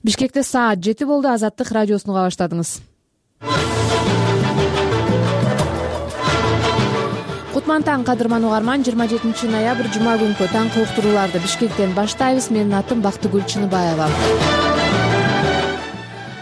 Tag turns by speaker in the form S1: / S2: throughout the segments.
S1: Бишкекте саат 7 болду. Азаттык радиосун уга баштадыңыз. Кутман таң, кадырман угарман. 27 ноябрь жума күнкү таңкы уктурууларды Бишкектен баштайбыз. Менин атым Бактыгүл Чыныбаева.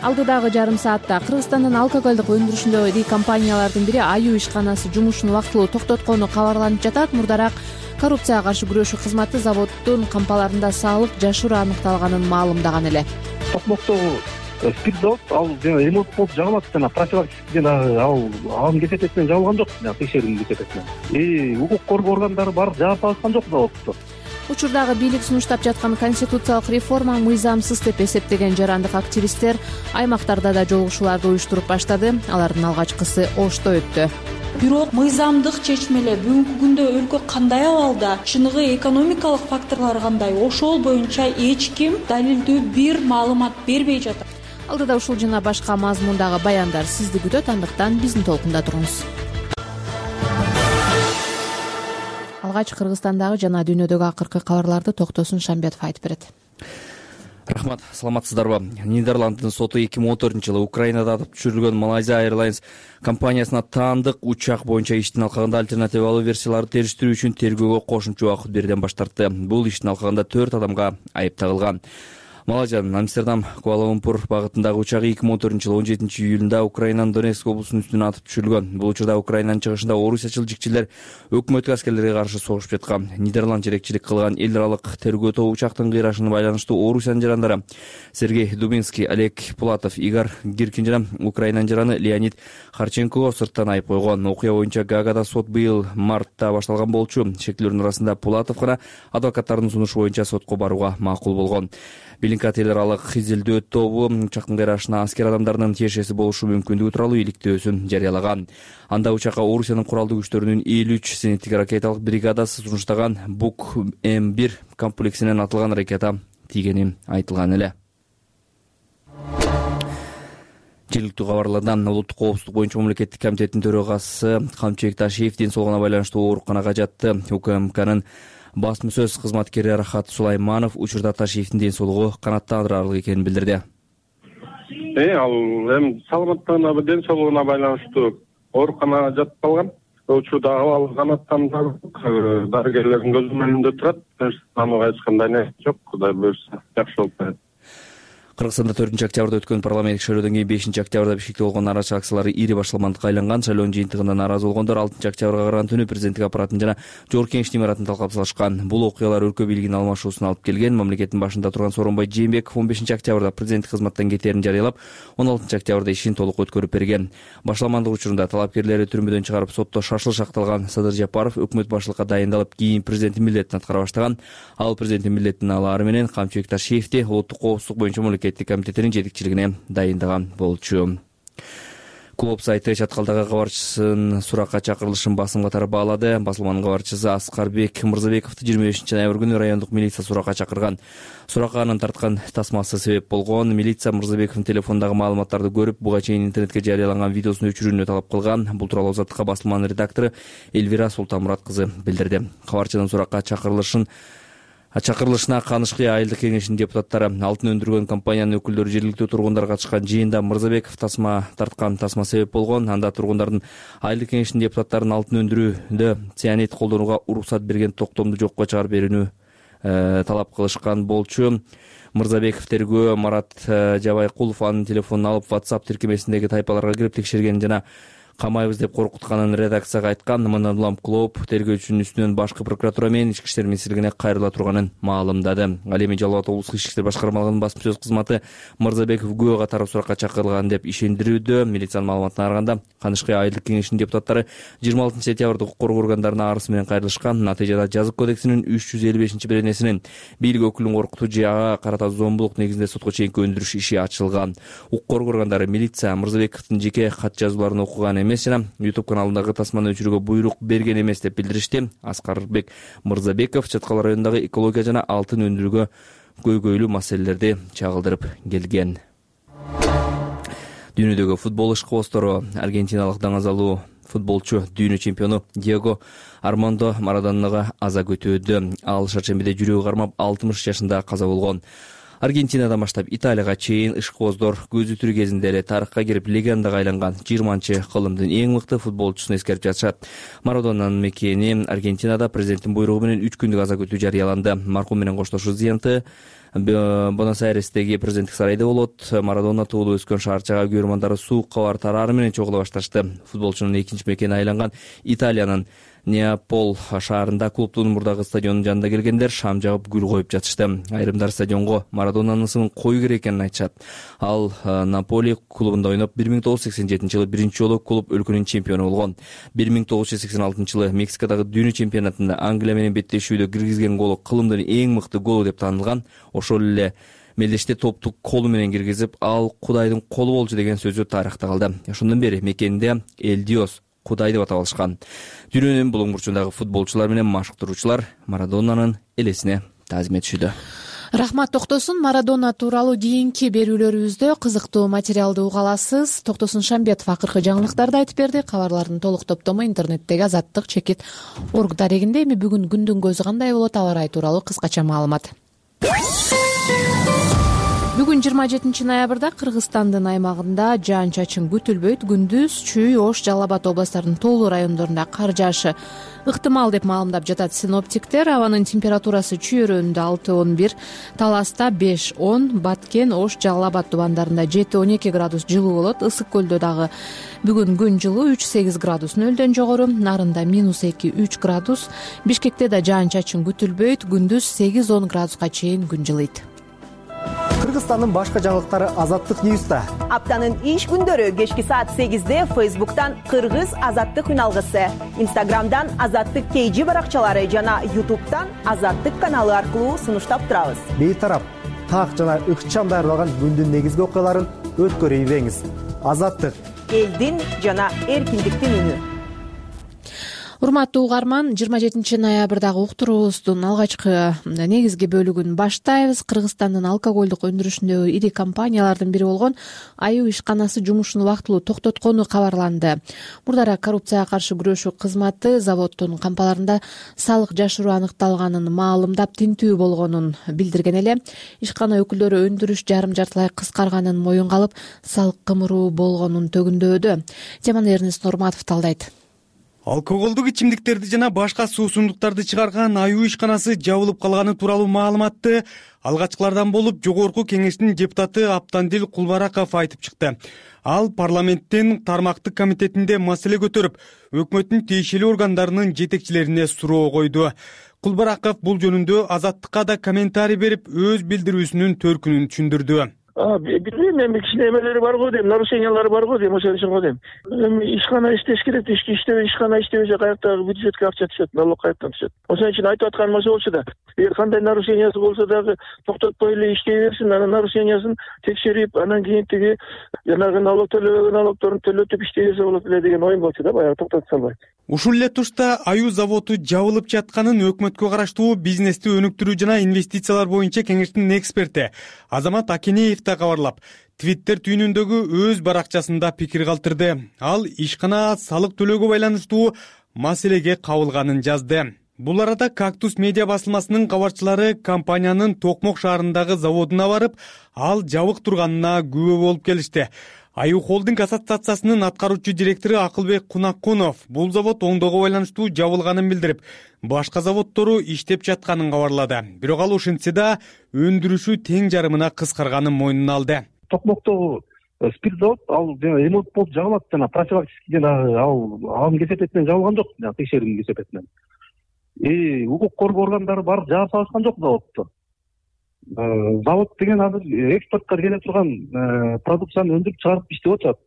S1: Алдыдагы жарым саатта Кыргызстандын алкоголдук өндүрүшүндө iri компаниялардын бири Аюу ишканасы жумушун убактылуу токтоткону кабарланып жатат. Мурдараак коррупцияга каршы күрөшүү кызматы заводдун кампаларында саалык жашыруу аныкталганын маалымдаган эле.
S2: Токмоктогу спирт завод ал ремонт болуп жабылат жана профилактика анын кесепетинен жабылган жок, текшерүүнүн кесепетинен. Укук коргоо органдары барып жаап алышкан жок заводду.
S1: Учурдагы бийлик сунуштап жаткан конституциялык реформа мыйзамсыз деп эсептеген жарандык активисттер аймактарда да жолугушууларды уюштуруп баштады. Алардын алгачкысы Ошто өттү.
S3: Бирок мыйзамдык чечмелер бүгүнкү күндө өлкө кандай абалда, чыныгы экономикалык факторлор кандай, ошол боюнча эч ким далилдүү бир маалымат бербей жатат.
S1: Алдыда ушул жана башка мазмундагы баяндар сизди күтөт, андыктан биздин толкунда туруңуз. Алгач Кыргызстандагы жана дүйнөдөгү акыркы кабарларды Токтосун Шамбетов айтып берет.
S4: Рахмат, саламатсыздарбы? Нидерланддын соту 2014-жылы Украинада атып түшүрүлгөн Malaysia Airlines компаниясына таандык учак боюнча иштин алкагында альтернативалуу версияларды териштирүү үчүн тергөөгө кошумча убакыт берүүдөн баш тартты. Бул иштин алкагында 4 адамга айып тагылган. Малайзиянын Амстердам Куала-Лумпур багытындагы учагы 2014-жылы 17 июлунда Украинанын Донецк облусунун үстүнө атып түшүрүлгөн. Бул учурда Украинанын чыгышында орусиячыл жикчилер өкмөттүк аскерлерге каршы согушуп жаткан. Нидерланд жерекчилик кылган эл аралык тергөө тобу учактын кыйрашына байланыштуу Орусиянын жарандары Сергей Дубинский, Олег Пулатов, Игорь Гиркин жана Украинанын жараны Леонид Харченкого сырттан айып койгон. Окуя боюнча Гаагада сот быйыл мартта башталган болчу. Шектилердин арасында Пулатов гана адвокаттардын сунушу боюнча сотко барууга макул болгон. Билинкат эл аралык изилдөө тобу учактын кыйрашына аскер адамдарынын тиешеси болушу мүмкүндүгү тууралуу иликтөөсүн жарыялаган. Анда учакка Орусиянын куралдуу күчтөрүнүн 53 зениттик ракеталык бригадасы сунуштаган Бук М1 комплексинен атылган ракета тийгени айтылган эле. Жергиликтүү кабарлардан улуттук коопсуздук боюнча мамлекеттик комитеттин төрагасы Камчыбек Ташиев ден соолугуна байланыштуу ооруканага жатты. УКМКнын басма сөз кызматкери Рахат Сулайманов учурда Ташиевдин ден соолугу канааттандырарлык экенин билдирди.
S5: Ал саламаттыгына, ден соолугуна байланыштуу ооруканага жатып калган. Учурда абалы канааттандырылып, дарыгерлердин көз önүндө турат. Анга эч кандай нерсе жок, Кудай буйрса жакшы болуп калат.
S4: Кыргызстанда 4-октябрда өткөн парламенттик шайлоодон кийин 5-октябрда Бишкекте болгон нааразычылык акциялары ири башаламандыкка айланган. Шайлоонун жыйынтыгында нааразы болгондор 6-октябрга караган түнү президенттик аппаратын жана Жогорку Кеңештин имаратын талкап салышкан. Бул окуялар өлкө бийлигинин алмашуусуна алып келген. Мамлекеттин башында турган Сооронбай Жээнбеков 15-октябрда президенттик кызматтан кетээрин жарыялап, 16-октябрда ишин толук өткөрүп берген. Башаламандык учурунда талапкерлери түрмөдөн чыгарып сотто шашылыш акталган Садыр Жапаров өкмөт башчылыкка дайындалып, кийин президенттин милдетин аткара баштаган. Ал президенттин милдетин алаары менен Камчыбек Ташиевди улуттук коопсуздук боюнча мамлекеттик комитетинин жетекчилигине дайындаган болчу. Клуб сайты чаткалдагы кабарчысын суракка чакырылышын басым катары баалады. Басылманын кабарчысы Аскарбек Мырзабековду 25 ноябрь күнү райондук милиция суракка чакырган. Суракка анын тарткан тасмасы себеп болгон. Милиция Мырзабековдун телефондагы маалыматтарды көрүп, буга чейин интернетке жарыяланган видеосун өчүрүүнү талап кылган. Бул тууралуу Азаттыкка басылманын редактору Эльвира Султанмурат кызы билдирди. Кабарчынын суракка чакырылышына Канышкы айылдык кеңешинин депутаттары, алтын өндүргөн компаниянын өкүлдөрү, жергиликтүү тургундар катышкан жыйында Мырзабеков тарткан тасма себеп болгон. Анда тургундардын айылдык кеңешинин депутаттарын алтын өндүрүүдө цианид колдонууга уруксат берген токтомду жокко чыгарып берүүнү талап кылышкан болчу. Мырзабеков тергөө Марат Жабайкулов анын телефонун алып, WhatsApp тиркемесиндеги тайпаларга кирип текшергенин жана камайбыз деп коркутканын редакцияга айткан. Мындан улам клуб тергөөчүнүн үстүнөн башкы прокуратура менен Ички иштер министрлигине кайрыла турганын маалымдады. Ал эми Жалал Абад облустук ички иштер башкармалыгынын басма сөз кызматы Мырзабеков күбө катары суракка чакырылган деп ишендирүүдө. Милициянын маалыматына караганда Канышкы айылдык кеңешинин депутаттары 26 сентябрда укук коргоо органдарына арыз менен кайрылышкан. Натыйжада жазык кодексинин 355-беренесинин бийлик өкүлүн коркутуу же ага карата зомбулук негизинде сотко чейинки өндүрүш иши ачылган. Укук коргоо органдары милиция Мырзабековдун жеке кат жазууларын окуган эмес жана YouTube каналындагы тасманы өчүрүүгө буйрук берген эмес деп билдиришти. Аскарбек Мырзабеков Чаткал районундагы экология жана алтын өндүрүүгө көйгөйлүү маселелерди чагылдырып келген. Дүйнөдөгү футбол ишкыбоздору аргентиналык даңазалуу футболчу дүйнө чемпиону Диего Армандо Марадонага аза күтүүдө. Ал шаршембиде жүрөгү кармап 60 жашында каза болгон. Аргентинадан баштап Италияга чейин ишкыбоздор көзү тирүү кезинде эле тарыхка кирип легендага айланган 20-кылымдын эң мыкты футболчусун эскерип жатышат. Марадонанын мекени Аргентинада президенттин буйругу менен 3 күндүк аза күтүү жарыяланды. Маркум менен коштошуу зыянты Буэнос-Айрестеги президенттик сарайда болот. Марадона туулуп өскөн шаарчага көрөрмандары суук кабар тарары менен чогула башташты. Футболчунун экинчи мекени айланган Италиянын Неаполь шаарында клубдун мурдагы стадионунун жанында келгендер шам жагып гүл коюп жатышты. Айрымдар стадионго Марадонанын ысымын кою керек экенин айтышат. Ал Наполи клубунда ойноп 1987-жылы биринчи жолу клуб өлкөнүн чемпиону болгон. 1986-жылы Мексикадагы дүйнө чемпионатында Англия менен беттешүүдө киргизген голу кылымдын эң мыкты голу деп таанылган. Ошол эле мелдеште топту колу менен киргизип, ал Кудайдын колу болчу деген сөзү тарыхта калды. Ошондон бери мекенде Эл Диос, Кудай деп атап алышкан. Дүйнөнүн булуң бурчундагы футболчулар менен машыктыруучулар Марадонанын элесине таазим этишүүдө.
S1: Рахмат Токтосун. Марадона тууралуу кийинки берүүлөрүбүздө кызыктуу материалды уга аласыз. Токтосун Шамбетов акыркы жаңылыктарды айтып берди. Кабарлардын толук топтому интернеттеги Азаттык-org дарегинде. Эми бүгүн күндүн көзү кандай болот, аба ырайы тууралуу кыскача маалымат. Бүгүн 27 ноябрда Кыргызстандын аймагында жаан-чачын күтүлбөйт. Күндүз Чүй, Ош, Жалал Абад областарынын тоолуу райондорунда кар жаашы ыктымал деп маалымдап жатат синоптиктер. Абанын температурасы Чүй өрөөнүндө 6-11, Таласта 5-10, Баткен, Ош, Жалал Абад тубандарында 7-12 градус жылуу болот. Ысык көлдө дагы бүгүн күн жылуу 3-8 градус нөлдөн жогору, Нарында -2-3 градус. Бишкекте да жаан-чачын күтүлбөйт. Күндүз 8-10 градуска чейин күн жылыйт.
S6: Кыргызстандын башка жаңылыктары Азаттык Ньюста.
S7: Аптанын иш күндөрү кечки саат 8-де Facebook'тан Кыргыз Азаттык үналгысы, Instagram'дан Азаттык KG баракчалары жана YouTube'тан Азаттык каналы аркылуу сунуштап турабыз.
S6: Бейтарап, так жана ыкчам даярдалган күндүн негизги окуяларын өткөрүп ийбеңиз. Азаттык —
S7: элдин жана эркиндиктин үнү.
S1: Урматтуу угарман, 27 ноябрдагы уктуруубуздун алгачкы негизги бөлүгүн баштайбыз. Кыргызстандын алкоголдук өндүрүшүндөгү ири компаниялардын бири болгон Аюу ишканасы жумушун убактылуу токтоткону кабарланды. Мурдара коррупцияга каршы күрөшүү кызматы заводдун кампаларында салык жашыруу аныкталганын маалымдап, тинтүү болгонун билдирген эле. Ишкана өкүлдөрү өндүрүш жарым-жартылай кыскарганын моюнга алып, салык кымыруу болгонун төгүндөдү. Теманы Эрнест Нурматов талдайт.
S8: Алкоголдук ичимдиктерди жана башка суусундуктарды чыгарган Аюу ишканасы жабылып калганы тууралуу маалыматты алгачкылардан болуп жогорку кеңештин депутаты Аптандил Кулбараков айтып чыкты. Ал парламенттин тармактык комитетинде маселе көтөрүп, өкмөттүн тийиштүү органдарынын жетекчилерине суроо койду. Кулбараков бул жөнүндө Азаттыкка да комментарий берип, өз билдирүүсүнүн төркүнүн түшүндүрдү.
S9: Билбейм, эми кичине эмелери бар го дейм, нарушениялары бар го дейм, ошон үчүн го дейм. Эми ишкана иштеш керек, ишкана иштебесе каяктагы бюджетке акча түшөт, налог каяктан түшөт. Ошон үчүн айтып атканым ошо болчу да. Эгер кандай нарушениясы болсо дагы токтотпой эле иштей берсин, анан нарушениясын текшерип, анан кийин тиги жанагы налог төлөбөгөн налогдорун төлөтүп иштей берсе болот эле деген оюм болчу да, баягы токтотуп салбай.
S8: Ушул эле тушта Аюу заводу жабылып жатканын өкмөткө караштуу бизнести өнүктүрүү жана инвестициялар боюнча кеңештин эксперти Азамат Акенеев да кабарлап, Твиттер түйүнүндөгү өз баракчасында пикир калтырды. Ал ишкана салык төлөөгө байланыштуу маселеге кабылганын жазды. Бул арада Кактус медиа басылмасынын кабарчылары компаниянын Токмок шаарындагы заводуна барып, ал жабык турганына күбө болуп келишти. Аюу холдинг ассоциациясынын аткаруучу директору Акылбек Кунакунов бул завод оңдоого байланыштуу жабылганын билдирип, башка заводдору иштеп жатканын кабарлады. Бирок ал ошентсе да өндүрүшү тең жарымына кыскарганын мойнуна алды.
S2: Токмоктогу спирт завод ал ремонт болуп жабылат жана профилактический жана анын кесепетинен жабылган жок, жана текшерүүнүн кесепетинен. Укук коргоо органдары барып жаап салышкан жок заводду. Завод деген азыр экспортко келе турган продукцияны өндүрүп чыгарып иштеп атат.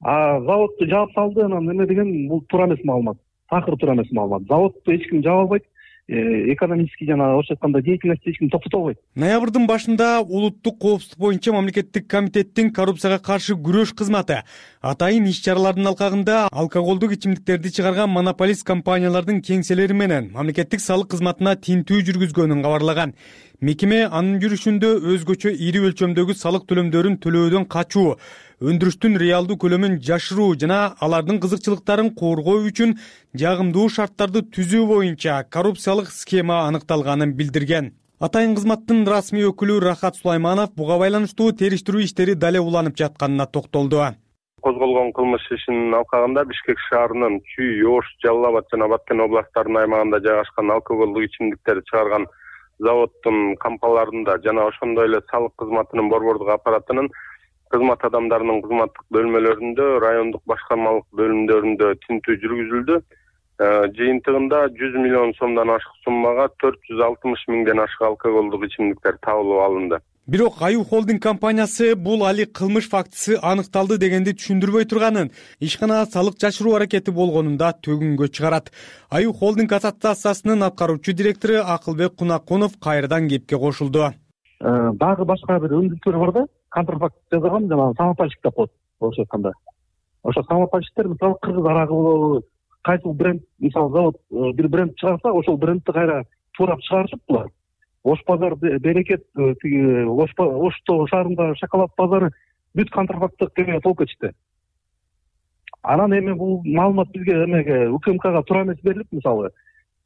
S2: Заводду жаап салды, анан эме деген бул туура эмес маалымат. Такыр туура эмес маалымат. Заводду эч ким жаап албайт. Экономический жана орусча айтканда деятельность эч ким токтото албайт.
S8: Ноябрдын башында улуттук коопсуздук боюнча мамлекеттик комитеттин коррупцияга каршы күрөш кызматы атайын иш-чаралардын алкагында алкоголдук ичимдиктерди чыгарган монополист компаниялардын кеңселери менен мамлекеттик салык кызматына тинтүү жүргүзгөнүн кабарлаган. Мекеме анын жүрүшүндө өзгөчө ири өлчөмдөгү салык төлөмдөрүн төлөөдөн качуу, өндүрүштүн реалдуу көлөмүн жашыруу жана алардын кызыкчылыктарын коргоо үчүн жагымдуу шарттарды түзүү боюнча коррупциялык схема аныкталганын билдирген. Атайын кызматтын расмий өкүлү Рахат Сулайманов буга байланыштуу териштирүү иштери дале уланып жатканына токтолду.
S5: Козголгон кылмыш ишинин алкагында Бишкек шаарынын Чүй, Ош, Жалал Абад жана Баткен областтарынын аймагында жайгашкан алкоголдук ичимдиктерди чыгарган заводдун кампаларында жана ошондой эле салык кызматынын борбордук аппаратынын кызмат адамдарынын кызматтык бөлмөлөрүндө, райондук башкармалык бөлүмдөрүндө тинтүү жүргүзүлдү. Жыйынтыгында 100 миллион сомдон ашык суммага 460 миңден ашык алкоголдук ичимдиктер табылып алынды.
S8: Бирок Аю холдинг компаниясы бул али кылмыш фактысы аныкталды дегенди түшүндүрбөй турганын, ишкана салык жашыруу аракети болгонун да төгүнгө чыгарат. Аю холдинг ассоциациясынын аткаруучу директору Акылбек Кунакунов кайрадан кепке кошулду.
S2: Дагы башка бир өндүртүүлөр бар да, контрафакт жасаган жана самопальщик деп коет. Ошо айтканда. Ошо самопальщиктер мисалы кыргыз арагы болобу, кайсы бренд, мисалы завод бир бренд чыгарса, ошол брендти кайра туурап чыгарышып булар. Ош базар, Берекет, Ошто шаарында шоколад базары бүт контрафакттык кемеге толуп кетишти. Анан эми бул маалымат бизге эмеге УКМКга туура эмес берилип, мисалы,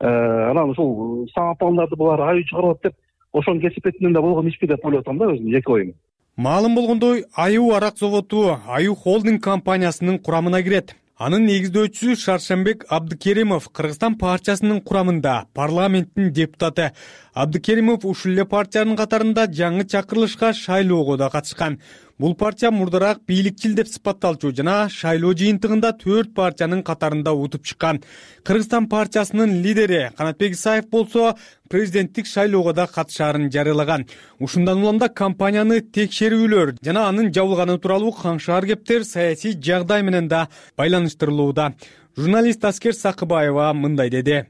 S2: анан ушул самопалдарды булар аю чыгарат деп, ошонун кесипетинен да болгон ишпи деп ойлоп атам да өзүм, жеке оюм.
S8: Маалым болгондой, Аю арак заводу Аю холдинг компаниясынын курамына кирет. Анын негиздөөчүсү Шаршембек Абдыкеримов Кыргызстан партиясынын курамында, парламенттин депутаты. Абдыкеримов ушул эле партиянын катарында жаңы чакырылышка шайлоого да катышкан. Бул партия мурдараак бийликчил деп сыпатталчу жана шайлоо жыйынтыгында 4 партиянын катарында утуп чыккан. Кыргызстан партиясынын лидери Канатбек Исаев болсо президенттик шайлоого да катышаарын жарыялаган. Ушундан улам да компанияны текшерүүлөр жана анын жабылганы тууралуу каңшаар кептер саясий жагдай менен да байланыштырылууда. Журналист Аскер Сакыбаева мындай деди.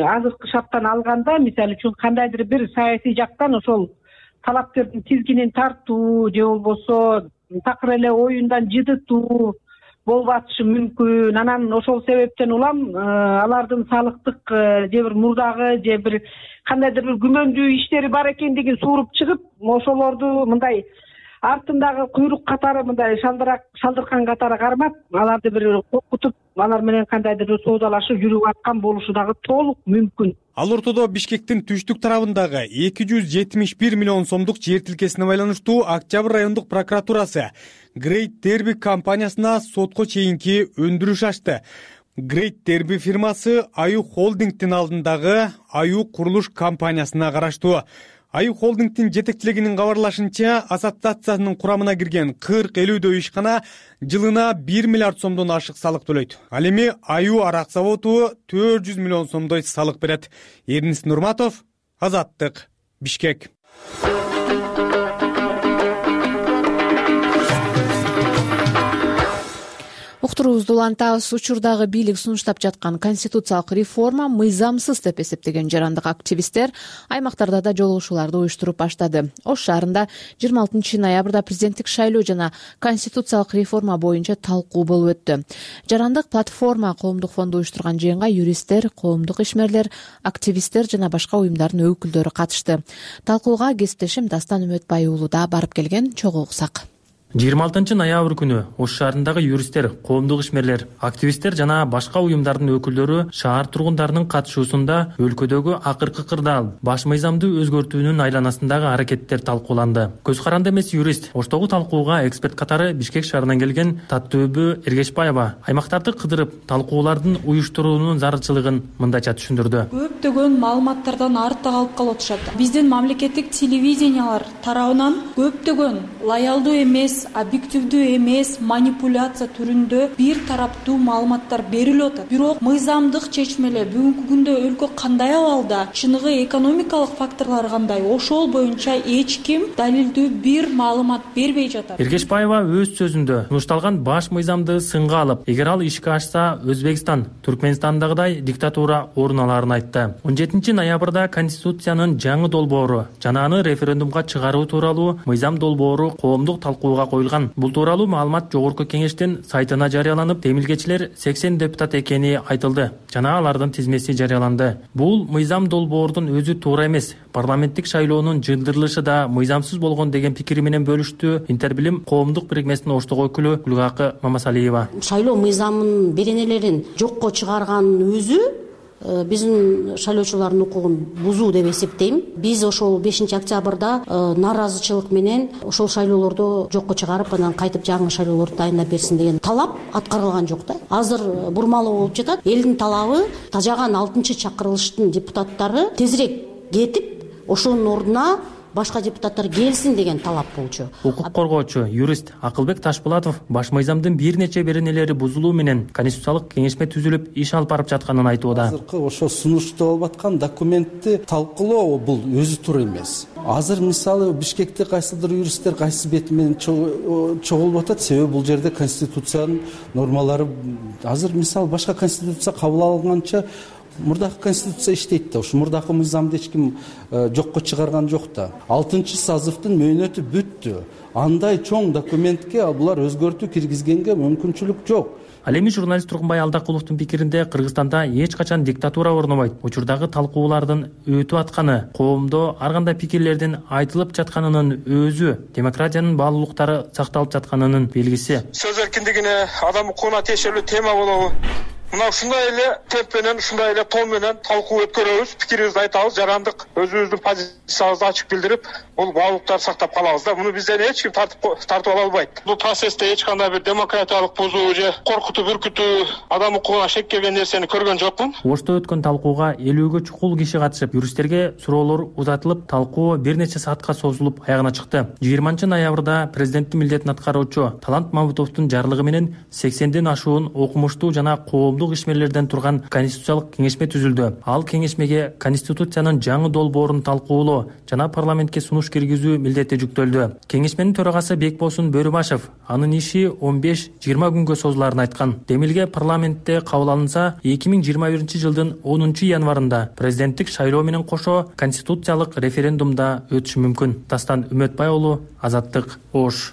S10: Азыркы шарттан алганда, мисалы үчүн кандайдыр бир саясий жактан ошол талапкердин тизгинин тартуу же болбосо такыр эле оюндан жыдытуу болуп атышы мүмкүн. Анан ошол себептен улам алардын салыктык же бир мурдагы же бир кандайдыр бир күмөндүү иштери бар экендигин сууруп чыгып, ошолорду мындай артындагы куйрук катары мындай шалдыркан катары кармап, аларды бир коркутуп, алар менен кандайдыр бир соодалашып жүрүп аткан болушу дагы толук мүмкүн.
S8: Ал ортодо Бишкектин түштүк тарабындагы 271 миллион сомдук жер тилкесине байланыштуу Октябрь райондук прокуратурасы Great Derby компаниясына сотко чейинки өндүрүш ачты. Great Derby фирмасы Аю холдингдин алдындагы Аю курулуш компаниясына караштуу. Аю холдингдин жетекчилигинин кабарлашынча, ассоциациянын курамына кирген 40-50дөй ишкана жылына 1 миллиард сомдон ашык салык төлөйт. Ал эми Аю арак заводу 400 миллион сомдой салык берет. Эрнис Нурматов, Азаттык, Бишкек.
S1: Уктуруубузду улантабыз. Учурдагы бийлик сунуштап жаткан конституциялык реформа мыйзамсыз деп эсептеген жарандык активисттер аймактарда да жолугушууларды уюштуруп баштады. Ош шаарында 26 ноябрда президенттик шайлоо жана конституциялык реформа боюнча талкуу болуп өттү. Жарандык платформа коомдук фонду уюштурган жыйынга юристтер, коомдук ишмерлер, активисттер жана башка уюмдардын өкүлдөрү катышты. Талкууга кесиптешим Дастан Үмөтбай уулу да барып келген, чогуу уксак.
S11: 26 ноябрь күнү Ош шаарындагы юристтер, коомдук ишмерлер, активисттер жана башка уюмдардын өкүлдөрү шаар тургундарынын катышуусунда өлкөдөгү акыркы кырдаал баш мыйзамды өзгөртүүнүн айланасындагы аракеттер талкууланды. Көз каранды эмес юрист Оштогу талкууга эксперт катары Бишкек шаарынан келген Таттөбү Эргешбаева аймактарды кыдырып талкуулардын уюштуруунун зарылчылыгын мындайча түшүндүрдү.
S3: Көптөгөн маалыматтардан артта калып калып атышат. Биздин мамлекеттик телевидениялар тарабынан көптөгөн лоялдуу эмес, объективдүү эмес, манипуляция түрүндө бир тараптуу маалыматтар берилип атат. Бирок мыйзамдык чечмелер бүгүнкү күндө өлкө кандай абалда, чыныгы экономикалык факторлор кандай, ошол боюнча эч ким далилдүү бир маалымат бербей жатат.
S11: Эргешбаева өз сөзүндө сунушталган баш мыйзамды сынга алып, эгер ал ишке ашса, Өзбекстан, Түркмөнстандагыдай диктатура орун аларын айтты. 17 ноябрда Конституциянын жаңы долбоору жана аны референдумга чыгаруу тууралуу мыйзам долбоору коомдук талкууга коюлган. Бул тууралуу маалымат жогорку кеңештин сайтына жарыяланып, темилгечилер 80 депутат экени айтылды жана алардын тизмеси жарыяланды. Бул мыйзам долбоордун өзү туура эмес. Парламенттик шайлоонун жыйылдырылышы да мыйзамсыз болгон деген пикири менен бөлүштү Интербилим коомдук бирикмесинин Оштогу өкүлү Гүлгакы Мамасалиева.
S12: Шайлоо мыйзамынын беренелерин жокко чыгарганын өзү биздин шайлоочулардын укугун бузуу деп эсептейм. Биз ошол 5 октябрда нааразычылык менен ошол шайлоолорду жокко чыгарып, анан кайтып жаңы шайлоолорду дайындап берсин деген талап аткарылган жок да. Азыр бурмалоо болуп жатат. Элдин талабы тажаган 6-чакырылыштын депутаттары тезирээк кетип, ошонун ордуна башка депутаттар келсин деген талап болчу.
S11: Укук коргоочу, юрист Акылбек Ташпулатов баш мыйзамдын бир нече беренелери бузулуу менен конституциялык кеңешме түзүлүп иш алып барып жатканын айтууда.
S13: Азыркы ошо сунушту болуп аткан документти талкуулоо бул өзү туура эмес. Азыр мисалы Бишкекте кайсыдыр юристтер кайсы бети менен чогулуп атат, себеби бул жерде конституциянын нормалары азыр мисалы башка конституция кабыл алынганча мурдакы конституция иштейт да, ушу мурдакы мыйзамды эч ким жокко чыгарган жок да. 6-сазывдын мөөнөтү бүттү. Андай чоң документке булар өзгөртүү киргизгенге мүмкүнчүлүк жок.
S11: Ал эми журналист Тургунбай Алдакуловдун пикиринде Кыргызстанда эч качан диктатура орнобойт. Учурдагы талкуулардын өтүп атканы, коомдо ар кандай пикирлердин айтылып жатканынын өзү демократиянын баалуулуктары сакталып жатканынын белгиси.
S14: Сөз эркиндигине, адам укугуна тиешелүү тема болобу? Мына ушундай эле темп менен, ушундай эле тон менен талкуу өткөрөбүз, пикирибизди айтабыз, жарандык өзүбүздүн позициябызды ачык билдирип, бул баалуулуктарды сактап калабыз да. Муну бизден эч ким тартып ала албайт. Бул процессте эч кандай бир демократиялык бузуу же коркутуп үркүтүү, адам укугуна шек келген нерсени көргөн жокмун.
S11: Ошто өткөн талкууга 50гө чукул киши катышып, юристтерге суроолор узатылып, талкуу бир нече саатка созулуп аягына чыкты. 20-ноябрда президенттин милдетин аткаруучу Талант Мамутовдун жарлыгы менен 80ден ашуун окумуштуу жана коомдук ишмерлерден турган конституциялык кеңешме түзүлдү. Ал кеңешмеге конституциянын жаңы долбоорун талкуулоо жана парламентке сунуш киргизүү милдети жүктөлдү. Кеңешменин төрагасы Бекбосун Бөрүбашев анын иши 15-20 күнгө созуларын айткан. Демилге парламентте кабыл алынса, 2021-жылдын 10-январында президенттик шайлоо менен кошо конституциялык референдумда өтүшү мүмкүн. Дастан Үмөтбай уулу, Азаттык, Ош.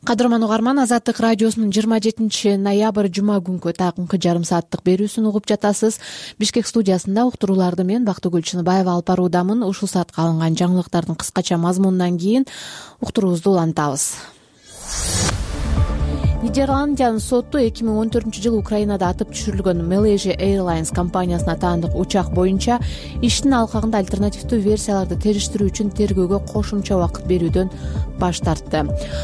S1: Кадырман угарман, Азаттык радиосунун 27-ноябрь жума күнкү такымкы жарым сааттык берүүсүн угуп жатасыз. Бишкек студиясында уктурууларды мен Бактыгүл Чыныбаева алып баруудамын. Ушул саатка алынган жаңылыктардын кыскача мазмунунан кийин уктуруубузду улантабыз. Нидерландиянын соту 2014-жылы Украинада атып түшүрүлгөн Malaysia Airlines компаниясына таандык учак боюнча иштин алкагында альтернативдүү версияларды териштирүү үчүн тергөөгө кошумча убакыт берүүдөн баш тартты.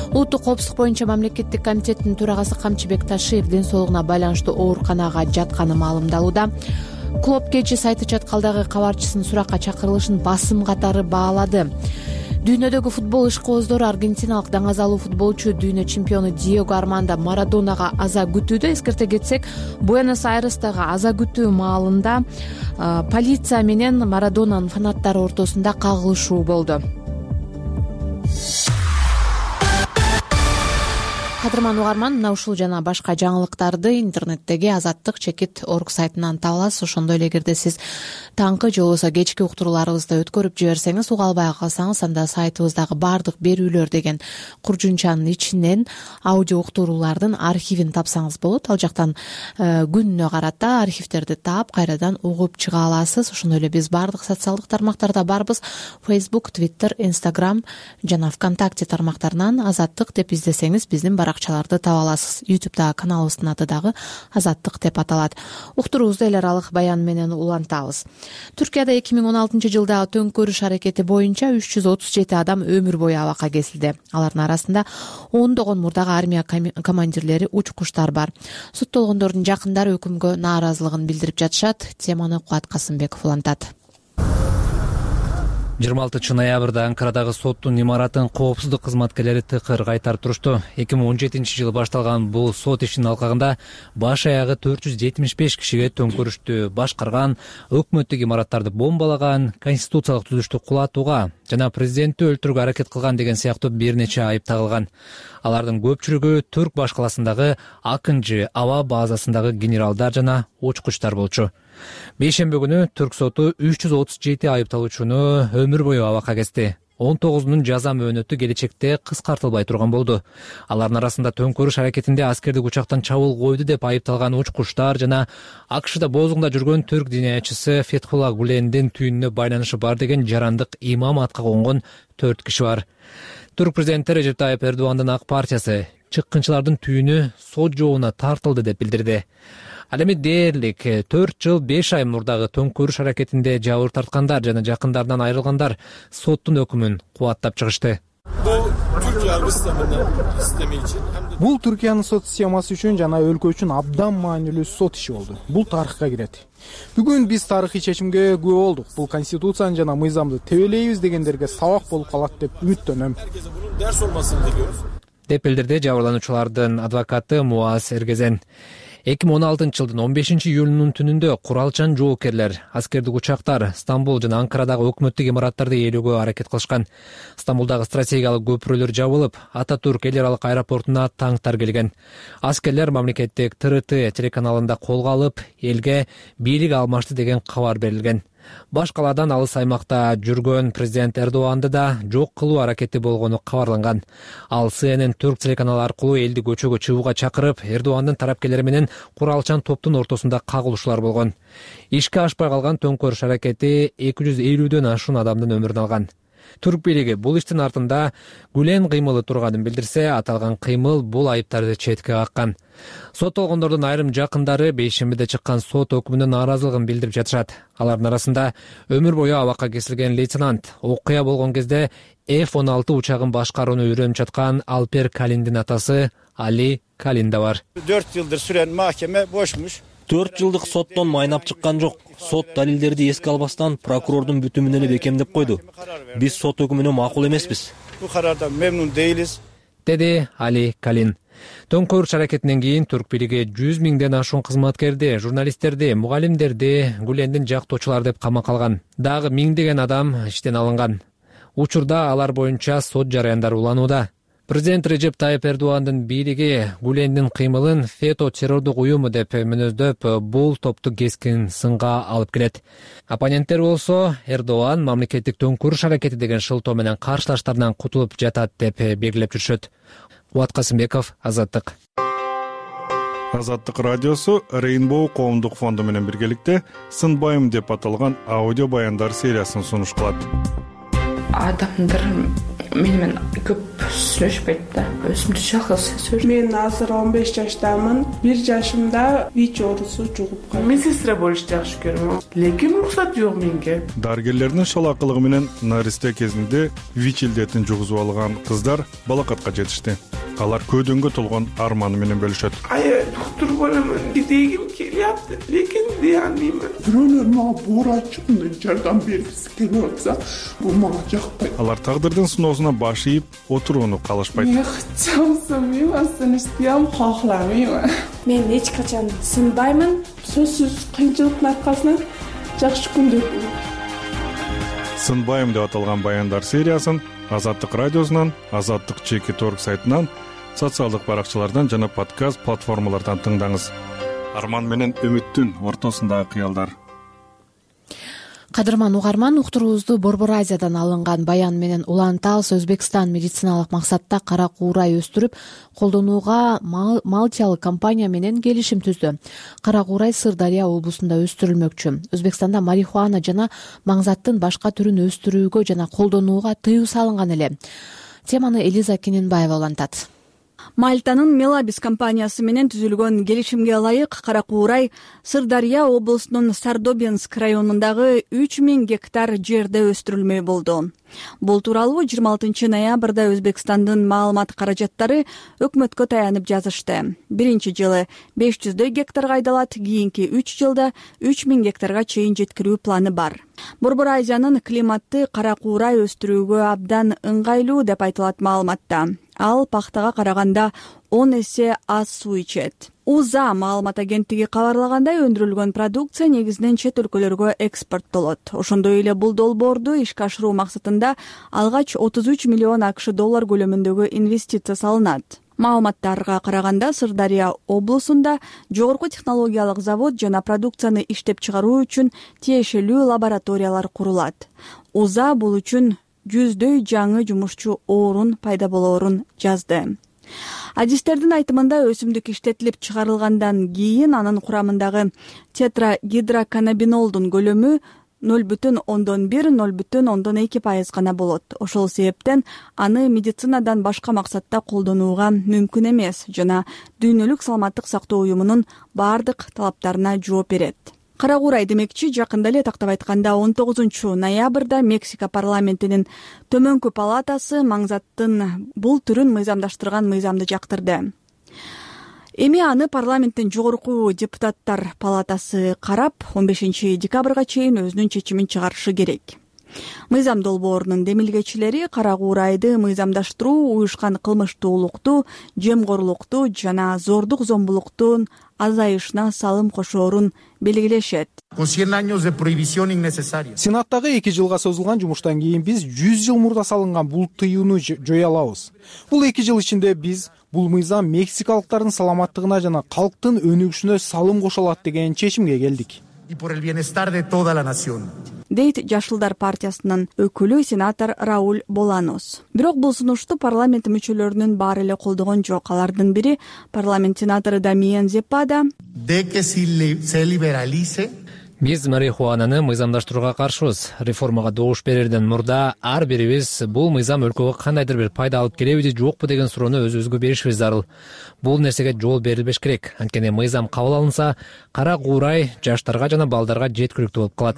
S1: Улуттук коопсуздук боюнча мамлекеттик комитеттин төрагасы Камчыбек Ташиев ден соолугуна байланыштуу ооруканага жатканы маалымдалууда. Клуб кечи сайты чаткалдагы кабарчысынын суракка чакырылышын басым катары баалады. Дүйнөдөгү футбол ишкобоздору аргентиналык даңазалуу футболчу дүйнө чемпиону Диего Армандо Марадонага аза күтүүдө. Эскерте кетсек, Буэнос-Айрестеги аза күтүү маалында полиция менен Марадонанын фанаттары ортосунда кагылышуу болду. Кадырман угарман, мына ушул жана башка жаңылыктарды интернеттеги azattik.org сайтынан таба аласыз. Ошондой эле эгерде сиз таңкы же болбосо кечки уктурууларыбызды өткөрүп жиберсеңиз, уга албай калсаңыз, анда сайтыбыздагы бардык берүүлөр деген куржунчанын ичинен аудио уктуруулардын архивин тапсаңыз болот. Ал жактан күнүнө карата архивтерди таап, кайрадан угуп чыга аласыз. Ошондой эле биз бардык социалдык тармактарда барбыз. Facebook, Twitter, Instagram жана ВКонтакте тармактарынан Азаттык деп издесеңиз, биздин акчаларды таба аласыз. YouTube'дагы каналыбыздын аты дагы Азаттык деп аталат. Уктуруубузду эл аралык баян менен улантабыз. Түркияда 2016-жылдагы төңкөрүш аракети боюнча 337 адам өмүр бою абакка кесилди. Алардын арасында ондогон мурдагы армия командирлери, учкуштар бар. Соттолгондордун жакындары өкүмгө нааразылыгын билдирип жатышат. Теманы Кубат Касымбеков улантат.
S15: 26-ноябрда Анкарадагы соттун имаратын коопсуздук кызматкерлери тыкыр кайтарып турушту. 2017-жылы башталган бул сот ишинин алкагында баш аягы 475 кишиге төңкөрүштү башкарган, өкмөттүк имараттарды бомбалаган, конституциялык түзүлүштү кулатууга жана президентти өлтүрүүгө аракет кылган деген сыяктуу бир нече айып тагылган. Алардын көпчүлүгү Түрк башкаласындагы Акынжы аба базасындагы генералдар жана учкучтар болчу. Бейшемби күнү Түрк соту 337 айыпталуучуну өмүр бою абакка кести. 19-нун жаза мөөнөтү келечекте кыскартылбай турган болду. Алардын арасында төңкөрүш аракетинде аскердик учактан чабуул койду деп айыпталган учкучтар жана АКШда боозуңда жүргөн түрк диниячысы Фетхулла Гулендин түйүнүнө байланышы бар деген жарандык имам атка конгон 4 киши бар. Түрк президенти Режеп Тайып Эрдогандын ак партиясы чыккынчылардын түйүнү сот жообуна тартылды деп билдирди. Ал эми дээрлик 4 жыл 5 ай мурдагы төңкөрүш аракетинде жабыр тарткандар жана жакындарынан айрылгандар соттун өкүмүн кубаттап чыгышты.
S16: Бул Түркиянын сот системасы үчүн жана өлкө үчүн абдан маанилүү сот иши болду. Бул тарыхка кирет. Бүгүн биз тарыхый чечимге күбө болдук. Бул конституцияны жана мыйзамды тебелейбиз дегендерге сабак болуп калат деп үмүттөнөм.
S15: Деп билдирди жабырлануучулардын адвокаты Муаз Эргезен. 2016 жылдын 15 июлунун түнүндө куралчан жоокерлер аскердик учактар Стамбул жана Анкарадагы өкмөттүк имараттарды ээлөөгө аракет кылышкан. Стамбулдагы стратегиялык көпүрөлөр жабылып, Ататүрк эл аралык аэропортуна танктар келген. Аскерлер мамлекеттик ТРТ телеканалында колго алып, элге бийлик алмашты деген кабар берилген. Баш калаадан алыс аймакта жүргөн президент Эрдоганды да жок кылуу аракети болгону кабарланган. Ал CNN Түрк телеканалы аркылуу элди көчөгө чыгууга чакырып, Эрдогандын тарапкерлери менен куралчан топтун ортосунда кагылышуулар болгон. Ишке ашпай калган төңкөрүш аракети 250дөн ашуун адамдын өмүрүн алган. Түрк бийлиги бул иштин артында Гүлен кыймылы турганын билдирсе, аталган кыймыл бул айыптарды четке каккан. Соттолгондордун айрым жакындары бейшембиде чыккан сот өкүмүнө нааразылыгын билдирип жатышат. Алардын арасында өмүр бою абакка кесилген лейтенант, окуя болгон кезде F-16 учагын башкарууну үйрөнүп жаткан Алпер Калиндин атасы Али Калин да бар.
S17: 4 жылдыр сүрен махкеме бошмуш.
S18: 4 жылдык соттон майнап чыккан жок. Сот далилдерди эске албастан прокурордун бүтүмүн эле бекемдеп койду. Биз сот өкүмүнө макул эмеспиз.
S17: Бул карардан мемнун дейбиз,
S15: деди Али Калин. Төңкөрүш аракетинен кийин Түрк бийлиги 100 миңден ашуун кызматкерди, журналисттерди, мугалимдерди, Гүлендин жактоочулар деп камакка алган. Дагы миңдеген адам иштен алынган. Учурда алар боюнча сот жараяндары уланууда. Президент Режеп Тайып Эрдогандын бийлиги Гүлендин кыймылын фето террордук уюму деп мүнөздөп, бул топту кескин сынга алып келет. Оппоненттер болсо Эрдоган мамлекеттик төңкөрүш аракети деген шылтоо менен каршылаштарынан кутулуп жатат деп белгилеп жүрүшөт. Кубат Касымбеков, Азаттык.
S19: Азаттык радиосу Rainbow коомдук фонду менен биргеликте Сынбайым деп аталган аудио баяндар сериясын сунуш кылат.
S20: Адамдар менен көп сүйлөшпөйт да. Өзүмдү жалгыз сезем.
S21: Мен азыр 15 жаштамын. 1 жашымда ВИЧ оорусу жугуп калды.
S20: Медсестра болушты жакшы көрөм. Лекин уруксат жок менге.
S19: Дарыгерлердин шалакылыгы менен наристе кезинде ВИЧ илдетин жугузуп алган кыздар балакатка жетишти. Алар көйдөнгө толгон арманы менен бөлүшөт.
S20: Доктор боломун дегим келиапты, лекин дей албайм.
S21: Бирөөлөр мага боорачымын жардам бергиси келип атса, бул мага жакпайт.
S19: Алар тагдырдын сыноосуна баш ийип отурууну каалашпайт.
S21: Мен чамсамайм, астанышпайм, кахламайм.
S22: Мен эч качан сынбаймын.
S21: Сөзсүз кыйынчылыктын аркасынан жакшы күндөр болот.
S19: Сынбайым деп аталган баяндар сериясын Азаттык радиосунан, Азаттык ЧК сайтынан, социалдык баракчалардан жана подкаст платформалардан тыңдаңыз. Арман менен үмүттүн ортосундагы кыялдар.
S1: Кадырман угарман, уктуруубузду Борбор Азиядан алынган баян менен улантабыз. Өзбекстан медициналык максатта кара куурай өстүрүп колдонууга Малтиялык компания менен келишим түздү. Кара куурай Сырдария облусунда өстүрүлмөкчү. Өзбекстанда марихуана жана маңзаттын башка түрүн өстүрүүгө жана колдонууга тыюу салынган эле. Теманы Элиза Кененбаева улантат.
S23: Мальтанын Мелабис компаниясы менен түзүлгөн келишимге ылайык кара куурай Сырдария облусунун Сардобинск районундагы 3000 гектар жерде өстүрүлмөй болду. Бул тууралуу 26 ноябрда Өзбекстандын маалымат каражаттары өкмөткө таянып жазышты. Биринчи жылы 500 гектарга айдалат, кийинки 3 жылда 3000 гектарга чейин жеткирүү планы бар. Борбор Азиянын климатты кара куурай өстүрүүгө абдан ыңгайлуу деп айтылат маалыматта. Ал пахтага караганда 10 эсе аз суу ичет. УЗА маалымат агенттиги кабарлагандай, өндүрүлгөн продукция негизинен чет өлкөлөргө экспорттолот. Ошондой эле бул долбоорду ишке ашыруу максатында алгач 33 миллион АКШ доллар көлөмүндөгү инвестиция салынат. Маалыматтарга караганда Сырдария облусунда жогорку технологиялык завод жана продукцияны иштеп чыгаруу үчүн тиешелүү лабораториялар курулат. УЗА бул үчүн 100дөй жаңы жумушчу орун пайда болоорун жазды. Адистердин айтымында өсүмдүк иштетилип чыгарылгандан кийин анын курамындагы тетрагидроканнабинолдун көлөмү 0,1–0,2% гана болот. Ошол себептен аны медицинадан башка максатта колдонууга мүмкүн эмес жана дүйнөлүк саламаттык сактоо уюмунун бардык талаптарына жооп берет. Кара куурай демекчи, жакында эле тактап айтканда 19 ноябрда Мексика парламентинин төмөнкү палатасы маңзаттын бул түрүн мыйзамдаштырган мыйзамды жактырды. Эми аны парламенттин жогорку депутаттар палатасы карап, 15 декабрга чейин өзүнүн чечимин чыгарышы керек. Мыйзам долбоорунун демилгечилери кара куурайды мыйзамдаштыруу уюшкан кылмыштуулукту, жемкорлукту жана зордук зомбулуктун азайышына салым кошоорун белгилешет.
S16: Сенаттагы 2 жылга созулган жумуштан кийин биз 100 жыл мурда салынган бул тыюуну жоя алабыз. Бул 2 жыл ичинде биз бул мыйзам мексикалыктардын саламаттыгына жана калктын өнүгүшүнө салым кошо алат деген чечимге келдик. Дейт Жашылдар партиясынын өкүлү сенатор Рауль Боланос. Бирок бул сунушту парламент мүчөлөрүнүн баары эле колдогон жок. Алардын бири парламент сенатору Дамиен Зепада
S15: Биз марихуананы мыйзамдаштырууга каршыбыз. Реформага добуш берерден мурда ар бирибиз бул мыйзам өлкөгө кандайдыр бир пайда алып келеби же жокпу деген суроону өзүбүзгө беришибиз зарыл. Бул нерсеге жол берилбеш керек. Анткени мыйзам кабыл алынса, кара куурай жаштарга жана балдарга жеткиликтүү болуп калат.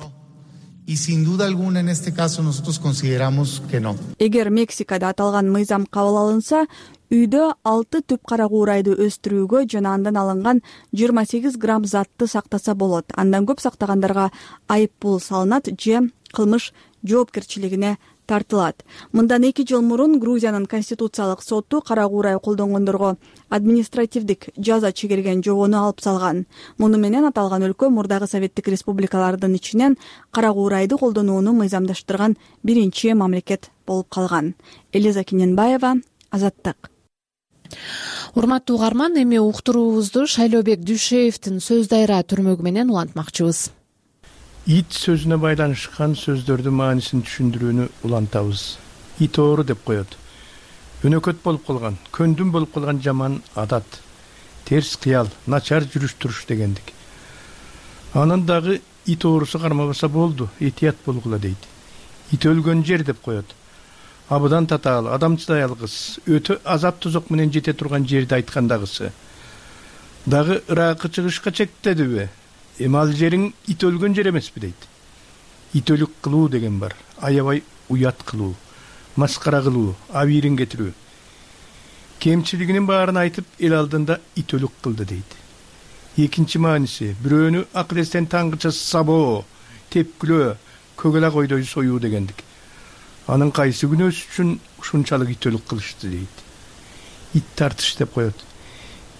S23: Эгер Мексикада аталган мыйзам кабыл алынса, үйдө 6 түп кара куурайды өстүрүүгө жана андан алынган 28 грамм затты сактаса болот. Андан көп сактагандарга айып пул салынат же кылмыш жоопкерчилигине тартылат. Мындан 2 жыл мурун Грузиянын конституциялык соту кара куурай колдонгондорго административдик жаза чегерген жобону алып салган. Муну менен аталган өлкө мурдагы советтик республикалардын ичинен кара куурайды колдонууну мыйзамдаштырган биринчи мамлекет болуп калган. Элиза Киненбаева, Азаттык.
S1: Урматтуу угарман, эми уктуруубузду Шайлообек Дүйшеевдин сөз дайра түрмөгү менен улантмакчыбыз.
S4: Ит сөзүнө байланышкан сөздөрдүн маанисин түшүндүрүүнү улантабыз. Ит оору деп коет. Өнөкөт болуп калган, көндүм болуп калган жаман адат, терс кыял, начар жүрүш-туруш дегендик. Анын дагы ит оорусу кармабаса болду, этият болгула дейт. Ит өлгөн жер деп коет. Абыдан татаал, адамчыдай алгыс, өтө азап тозок менен жете турган жерди айткандагысы. Дагы ыракы чыгышка чектедиби? Эми ал жериң ит өлгөн жер эмеспи дейт. Ит өлүк кылуу деген бар. Аябай уят кылуу, маскара кылуу, абийирин кетирүү. Кемчилигинин баарын айтып, эл алдында ит өлүк кылды дейт. Экинчи мааниси, бирөөнү акыл эстен таңгыча сабоо, тепкилөө, көгөлак ойдой союу дегендик. Анын кайсы күнөөсү үчүн ушунчалык ит өлүк кылышты дейт. Ит тартыш деп коет.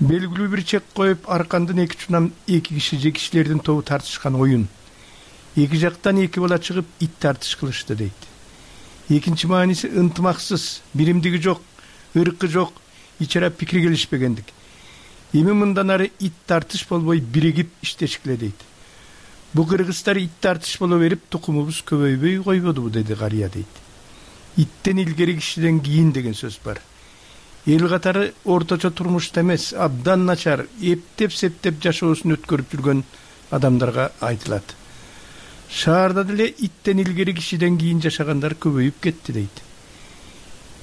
S4: Белгилүү бир чек коюп, аркандын эки чунам эки киши же кишилердин тобу тартышкан оюн. Эки жактан эки бала чыгып ит тартыш кылышты дейт. Экинчи мааниси ынтымаксыз, биримдиги жок, ыркы жок, ичара пикир келишпегендик. Эми мындан ары ит тартыш болбой биригип иштешкиле дейт. Бу кыргыздар ит тартыш боло берип, тукумубуз көбөйбөй койбодубу деди карыя дейт. Иттен илгери кишиден кийин деген сөз бар. Эл катары орточо турмушта эмес, абдан начар, эптеп-септеп жашоосун өткөрүп жүргөн адамдарга айтылат. Шаарда деле иттен илгери кишиден кийин жашагандар көбөйүп кетти дейт.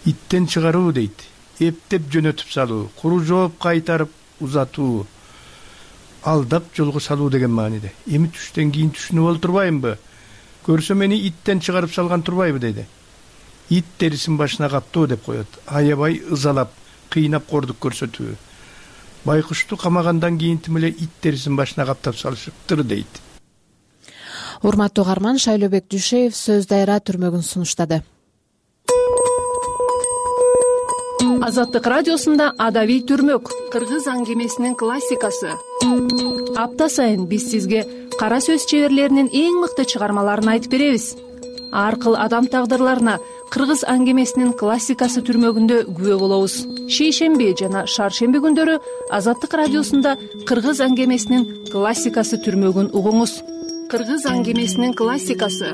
S4: Иттен чыгаруу дейт, эптеп жөнөтүп салуу, куру жооп кайтарып узатуу, алдап жолго салуу деген мааниде. Эми түштөн кийин түшүнүп олтурбаймбы? Көрсө мени иттен чыгарып салган турбайбы дейди. Ит терисин башына каптоо деп коет. Аябай ызалап, кыйнап кордук көрсөтүү. Байкушту камагандан кийин тим эле ит терисин башына каптап салышыптыр дейт.
S1: Урматтуу угарман, Шайлообек Дүйшеев сөз дайра түрмөгүн сунуштады.
S6: Азаттык радиосунда Адабий түрмөк, кыргыз аңгемесинин классикасы. Апта сайын биз сизге кара сөз чеберлеринин эң мыкты чыгармаларын айтып беребиз. Аркыл адам тагдырларына кыргыз аңгемесинин классикасы түрмөгүндө күбө болобуз. Шейшемби жана шаршемби күндөрү Азаттык радиосунда кыргыз аңгемесинин классикасы түрмөгүн угуңуз. Кыргыз аңгемесинин классикасы.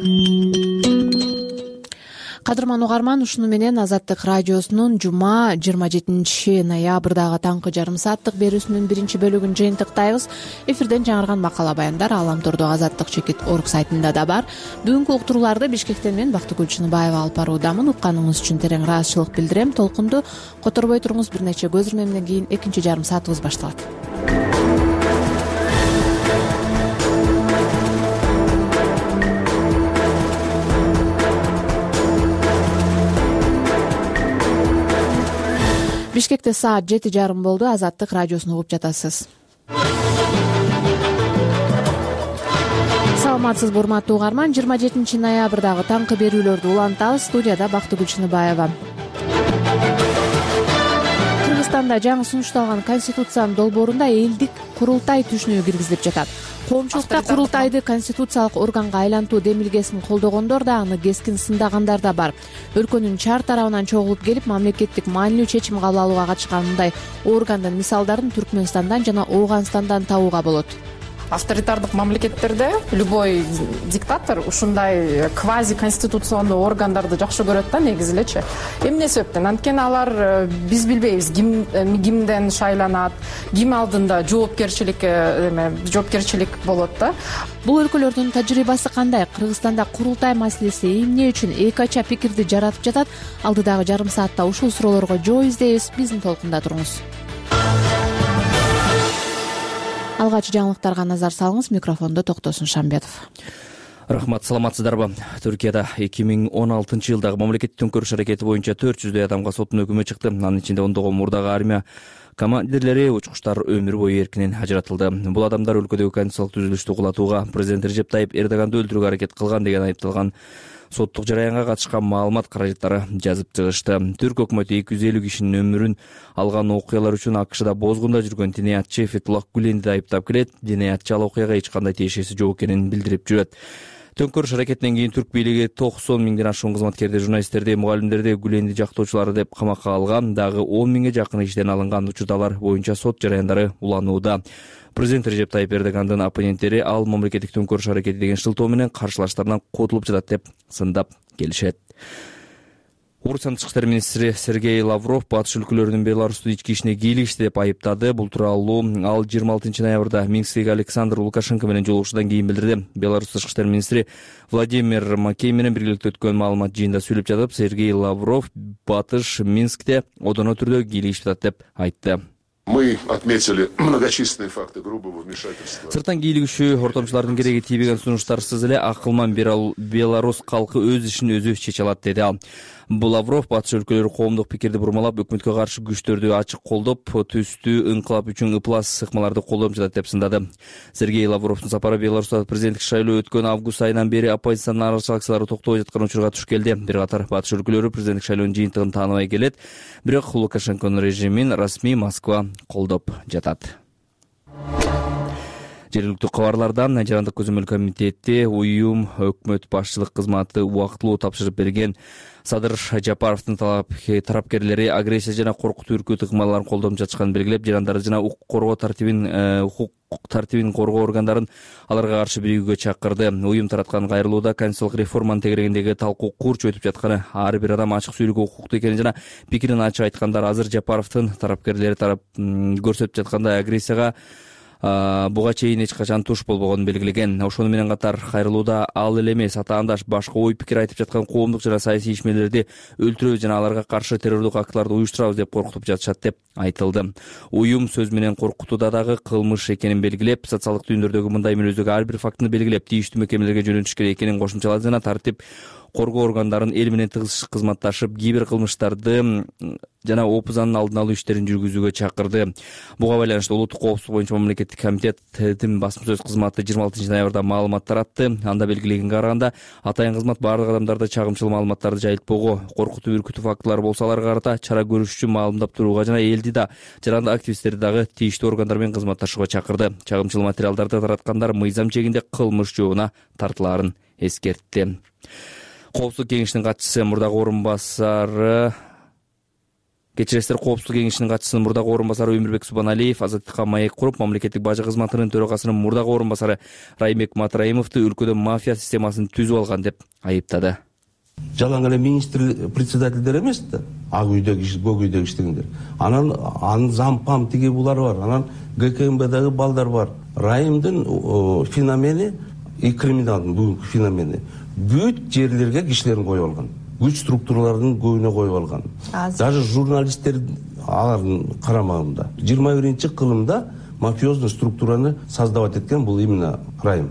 S1: Кадырман угарман, ушуну менен Азаттык радиосунун жума 27 ноябрдагы таңкы жарым сааттык берүүсүнүн биринчи бөлүгүн жыйынтыктайбыз. Эфирден жаңырган макала баяндар Аламтордо Азаттык чекит орг сайтында да бар. Бүгүнкү уктурууларды Бишкектен мен Бактыгүл Чыныбаева алып баруудамын. Укканыңыз үчүн терең ыраазычылык билдирем. Толкунду которбой туруңуз, бир нече көз ирмемден кийин экинчи жарым саатыбыз башталат. Бишкекте саат 7:30 болду. Азаттык радиосун угуп жатасыз. Саламатсызбы урматтуу угарман, 27 ноябрдагы таңкы берүүлөрдү улантабыз. Студияда Бактыгүл Чыныбаева. Кыргызстанда жаңы сунушталган конституциянын долбоорунда элдик курултай түшүнүгү киргизилип жатат. Коомчулукта курултайды конституциялык органга айлантуу демилгесин колдогондор да, аны кескин сындагандар да бар. Өлкөнүн чар тарабынан чогулуп келип, мамлекеттик маанилүү чечим кабыл алууга катышкан мындай органдын мисалдарын Түркмөнстандан жана Ооганстандан табууга болот.
S5: Авторитардык мамлекеттерде любой диктатор ушундай квази конституциондуу органдарды жакшы көрөт да, негизи элечи. Эмне себептен? Анткени алар биз билбейбиз кимден шайланат, ким алдында жоопкерчилик болот да.
S1: Бул өлкөлөрдүн тажрыйбасы кандай? Кыргызстанда курултай маселеси эмне үчүн эки ача пикирди жаратып жатат? Алдыдагы жарым саатта ушул суроолорго жооп издейбиз. Биздин толкунда туруңуз. Алгач жаңылыктарга назар салыңыз. Микрофондо Токтосун Шамбетов.
S7: Рахмат, саламатсыздарбы? Түркияда 2016 жылдагы мамлекеттик төңкөрүш аракети боюнча 400 адамга соттун өкүмү чыкты. Анын ичинде ондогон мурдагы армия командирлери, учкучтар өмүр бою эркинен ажыратылды. Бул адамдар өлкөдөгү конституциялык түзүлүштү кулатууга, президент Режеп Тайип Эрдоганды өлтүрүүгө аракет кылган деген айыпталган соттук жараянга катышкан маалымат каражаттары жазып чыгышты. Түрк өкмөтү 250 кишинин өмүрүн алган окуялар үчүн АКШда бозгунда жүргөн диниятчы Фетуллах Гүленди айыптап келет. Диниятчы ал окуяга эч кандай тиешеси жок экенин билдирип жүрөт. Төңкөрүш аракетинен кийин түрк бийлиги 90 миңден ашуун кызматкерди, журналисттерди, мугалимдерди Гүленди жактоочулары деп камакка алган. Дагы 10 миңге жакын иштен алынган учурдалар боюнча сот жараяндары уланууда. Президент Режеп Тайип Эрдогандын оппоненттери ал мамлекеттик төңкөрүш аракети деген шылтоо менен каршылаштарынан котулуп жатат деп сындап келишет. Орусиянын тышкы иштер министри Сергей Лавров батыш өлкөлөрүнүн Беларустун ички ишине кийлигишти деп айыптады. Бул тууралуу ал 26 ноябрда Минскдеги Александр Лукашенко менен жолугушуудан кийин билдирди. Беларусь тышкы иштер министри Владимир Макей менен биргеликте өткөн маалымат жыйынында сүйлөп жатып, Сергей Лавров батыш Минскте одоно түрдө кийлигишип жатат деп айтты.
S9: Мы отметили многочисленные факты грубого вмешательства.
S7: Сырттан кийлигишүү, ортомчулардын кереги тийбеген сунуштарсыз эле акылман Беларусь калкы өз ишин өзү чече алат деди ал. Лавров батыш өлкөлөрү коомдук пикирди бурмалап, өкмөткө каршы күчтөрдү ачык колдоп, түстүү инкылап үчүн ыплас ыкмаларды колдоп жатат деп сындады. Сергей Лавровдун сапары Беларусьта президенттик шайлоо өткөн август айынан бери оппозициянын аралашчы акциялары токтобой жаткан учурга туш келди. Бир катар батыш өлкөлөрү президенттик шайлоонун жыйынтыгын тааныбай келет, бирок Лукашенконун режимин расмий Москва колдоп жатат. Жергиликтүү кабарлардан Жарандык көзөмөл комитети уюм өкмөт башчылык кызматы убактылуу тапшырып берген Садыр Жапаровдун тарапкерлери агрессия жана коркутуу үркүт ыкмаларын колдонуп жатышканын белгилеп, жарандар жана укук коргоо тартибин коргоо органдарын аларга каршы биригүүгө чакырды. Уюм тараткан кайрылууда конституциялык реформанын тегерегиндеги талкуу курч өтүп жатканы, ар бир адам ачык сүйлөөгө укуктуу экенин жана пикирин ачык айткандар азыр Жапаровдун тарапкерлери көрсөтүп жаткандай агрессияга буга чейин эч качан туш болбогонун белгилеген. Ошону менен катар кайрылууда ал эле эмес, атаандаш башка ой пикир айтып жаткан коомдук жана саясий ишмерлерди өлтүрөбүз жана аларга каршы террордук актыларды уюштурабыз деп коркутуп жатышат деп айтылды. Уюм сөз менен коркутууда дагы кылмыш экенин белгилеп, социалдык түйүндөрдөгү мындай мүнөздөгү ар бир фактыны белгилеп, тийиштүү мекемелерге жөнөтүш керек экенин кошумчалады жана тартип коргоо органдарын эл менен тыгыз кызматташып, кийбир кылмыштарды жана опузанын алдын алуу иштерин жүргүзүүгө чакырды. Буга байланыштуу улуттук коопсуздук боюнча мамлекеттик комитеттин басма сөз кызматы 26 ноябрда маалымат таратты. Анда белгилегенге караганда, атайын кызмат бардык адамдарда чагымчыл маалыматтарды жайылтпоого, коркутуу үркүтүү фактылары болсо аларга карата чара көрүш үчүн маалымдап турууга жана элди да, жарандык активисттерди дагы тийиштүү органдар менен кызматташууга чакырды. Чагымчыл материалдарды тараткандар мыйзам чегинде кылмыш жообуна тартылаарын эскертти. Коопсуздук кеңешинин катчысы мурдагы орунбасары Коопсуздук кеңешинин катчысынын мурдагы орунбасары Өмүрбек Субаналиев азаттыкка маек куруп, мамлекеттик бажы кызматынын төрагасынын мурдагы орунбасары Раймбек Матраимовду өлкөдө мафия системасын түзүп алган деп айыптады.
S2: Жалаң эле министр председательдер эмес да, ак үйдө көк үйдө иштегендер. Анын зампам тиги булар бар. Анан ГКМБдагы балдар бар. Райымдын феномени и криминалдын бүгүнкү феномени бүт жерлерге кишилерин коюп алган. Күч структураларынын көбүнө коюп алган. Даже журналисттер алардын карамагында. 21-кылымда мафиоздун структураны создавать эткен бул именно Райым.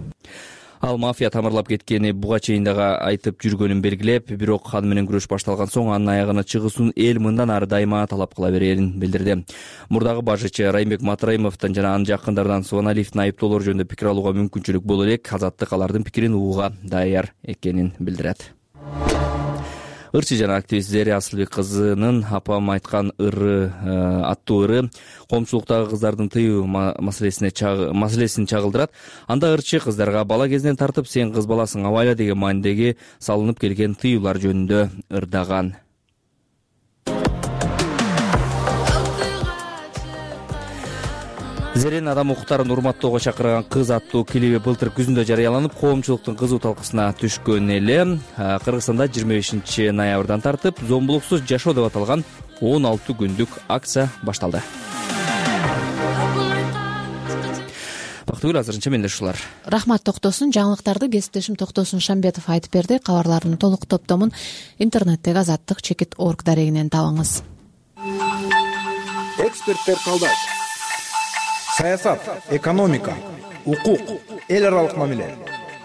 S7: Ал мафия тамырлап кеткени буга чейин дагы айтып жүргөнүн белгилеп, бирок аны менен күрөш башталган соң анын аягына чыгуусун эл мындан ары дайыма талап кыла берерин билдирди. Мурдагы башчы Райымбек Матраимовдон жана анын жакындарынан Сваналиевдин айыптоолору жөнүндө пикир алууга мүмкүнчүлүк боло элек. Азаттык алардын пикирин угууга даяр экенин билдирет. Ырчы жана активист Зерия Асылбек кызынын апам айткан ыры аттуу ыры коомчулуктагы кыздардын тыюу маселесин чагылдырат. Анда ырчы кыздарга бала кезинен тартып сен кыз баласың абайла деген маанидеги салынып келген тыюулар жөнүндө ырдаган. Зеренин адам укуктарын урматтоого чакырган кыз аттуу клиби былтыр күзүндө жарыяланып, коомчулуктун кызуу талкысына түшкөн эле. Кыргызстанда 25 ноябрдан тартып зомбулуксуз жашоо деп аталган 16 күндүк акция башталды. Бактыгүл, азырынча менде ушулар.
S1: Рахмат Токтосун. Жаңылыктарды кесиптешим Токтосун Шамбетов айтып берди. Кабарлардын толук топтомун интернеттеги azattik.org дарегинен табыңыз.
S16: Эксперттер калдайт. Саясат, экономика, укук, эл аралык мамиле,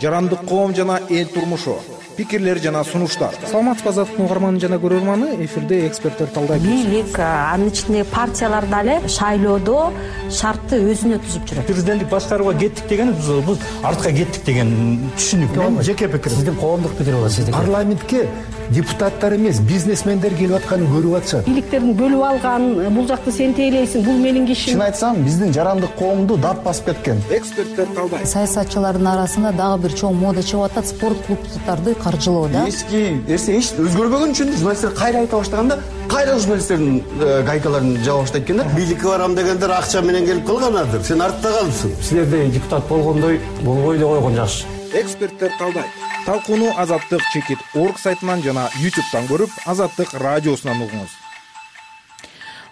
S16: жарандык коом жана эл турмушу, пикирлер жана сунуштар. Саламатсызбы азаттыктын угарманы жана көрөрманы, эфирде эксперттер талдайт.
S8: Бийлик, анын ичинде партиялар дале шайлоодо шартты өзүнө түзүп жүрөт.
S10: Президенттик башкарууга кеттик деген бул артка кеттик деген түшүнүк. Мен жеке пикирим. Сиздин коомдук пикир болот. Сиздин парламентке депутаттар эмес, бизнесмендер келип атканын көрүп атышат.
S8: Бийликтердин бөлүп алган, бул жакты сен тейлейсиң, бул менин кишим.
S10: Чын айтсам, биздин жарандык коомду дат басып кеткен.
S16: Эксперттер талдайт.
S24: Саясатчылардын арасында дагы бир чоң мода чыгып атат, спорт клубдарды каржылоо да.
S10: Эски нерсе эч өзгөрбөгөн үчүн журналисттер кайра айта баштаганда, кайра журналисттердин гайкаларын жаба баштайт экен да.
S25: Бийликке барам дегендер акча менен келип калганадыр. Сен артта калыпсың.
S10: Силерде депутат болгондой болбой эле койгон жакшы.
S16: Эксперттер талдайт. Талкууну azattik.org сайтынан жана YouTube'дан көрүп, Азаттык радиосунан угуңуз.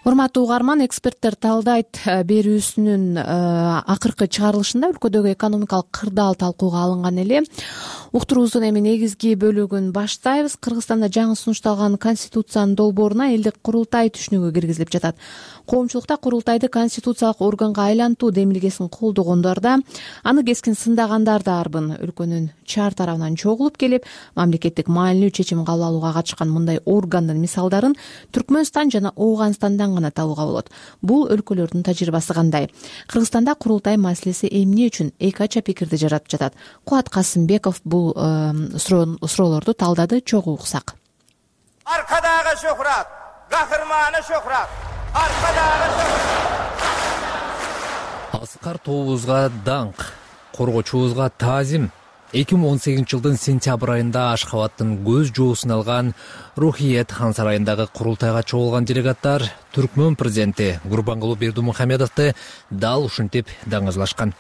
S1: Урматтуу угарман, эксперттер талдайт берүүсүнүн акыркы чыгарылышында өлкөдөгү экономикалык кырдаал талкууга алынган эле. Уктуруубуздун эми негизги бөлүгүн баштайбыз. Кыргызстанда жаңы сунушталган конституциянын долбооруна элдик курултай түшүнүгү киргизилип жатат. Коомчулукта курултайды конституциялык органга айлантуу демилгесин колдогондор да, аны кескин сындагандар да арбын. Өлкөнүн чаар тарабынан чогулуп келип, мамлекеттик маанилүү чечим кабыл алууга катышкан мындай органдын мисалдарын Түркмөнстан жана Ооганстандан гана табууга болот. Бул өлкөлөрдүн тажрыйбасы кандай? Кыргызстанда курултай маселеси эмне үчүн эки ача пикирди жаратып жатат? Кубат Касымбеков бул суроолорду талдады, чогуу уксак.
S26: Аркадагы шөһрат, кахырманы шөһрат.
S15: Аскар тобубузга даңк, коргочубузга таазим. 2018 жылдын сентябрь айында Ашхабадтын көз жоосун алган Рухиет хан сарайындагы курултайга чогулган делегаттар Түркмөн президенти Гурбангулы Бердимухамедовду дал ушинтип даңазлашкан.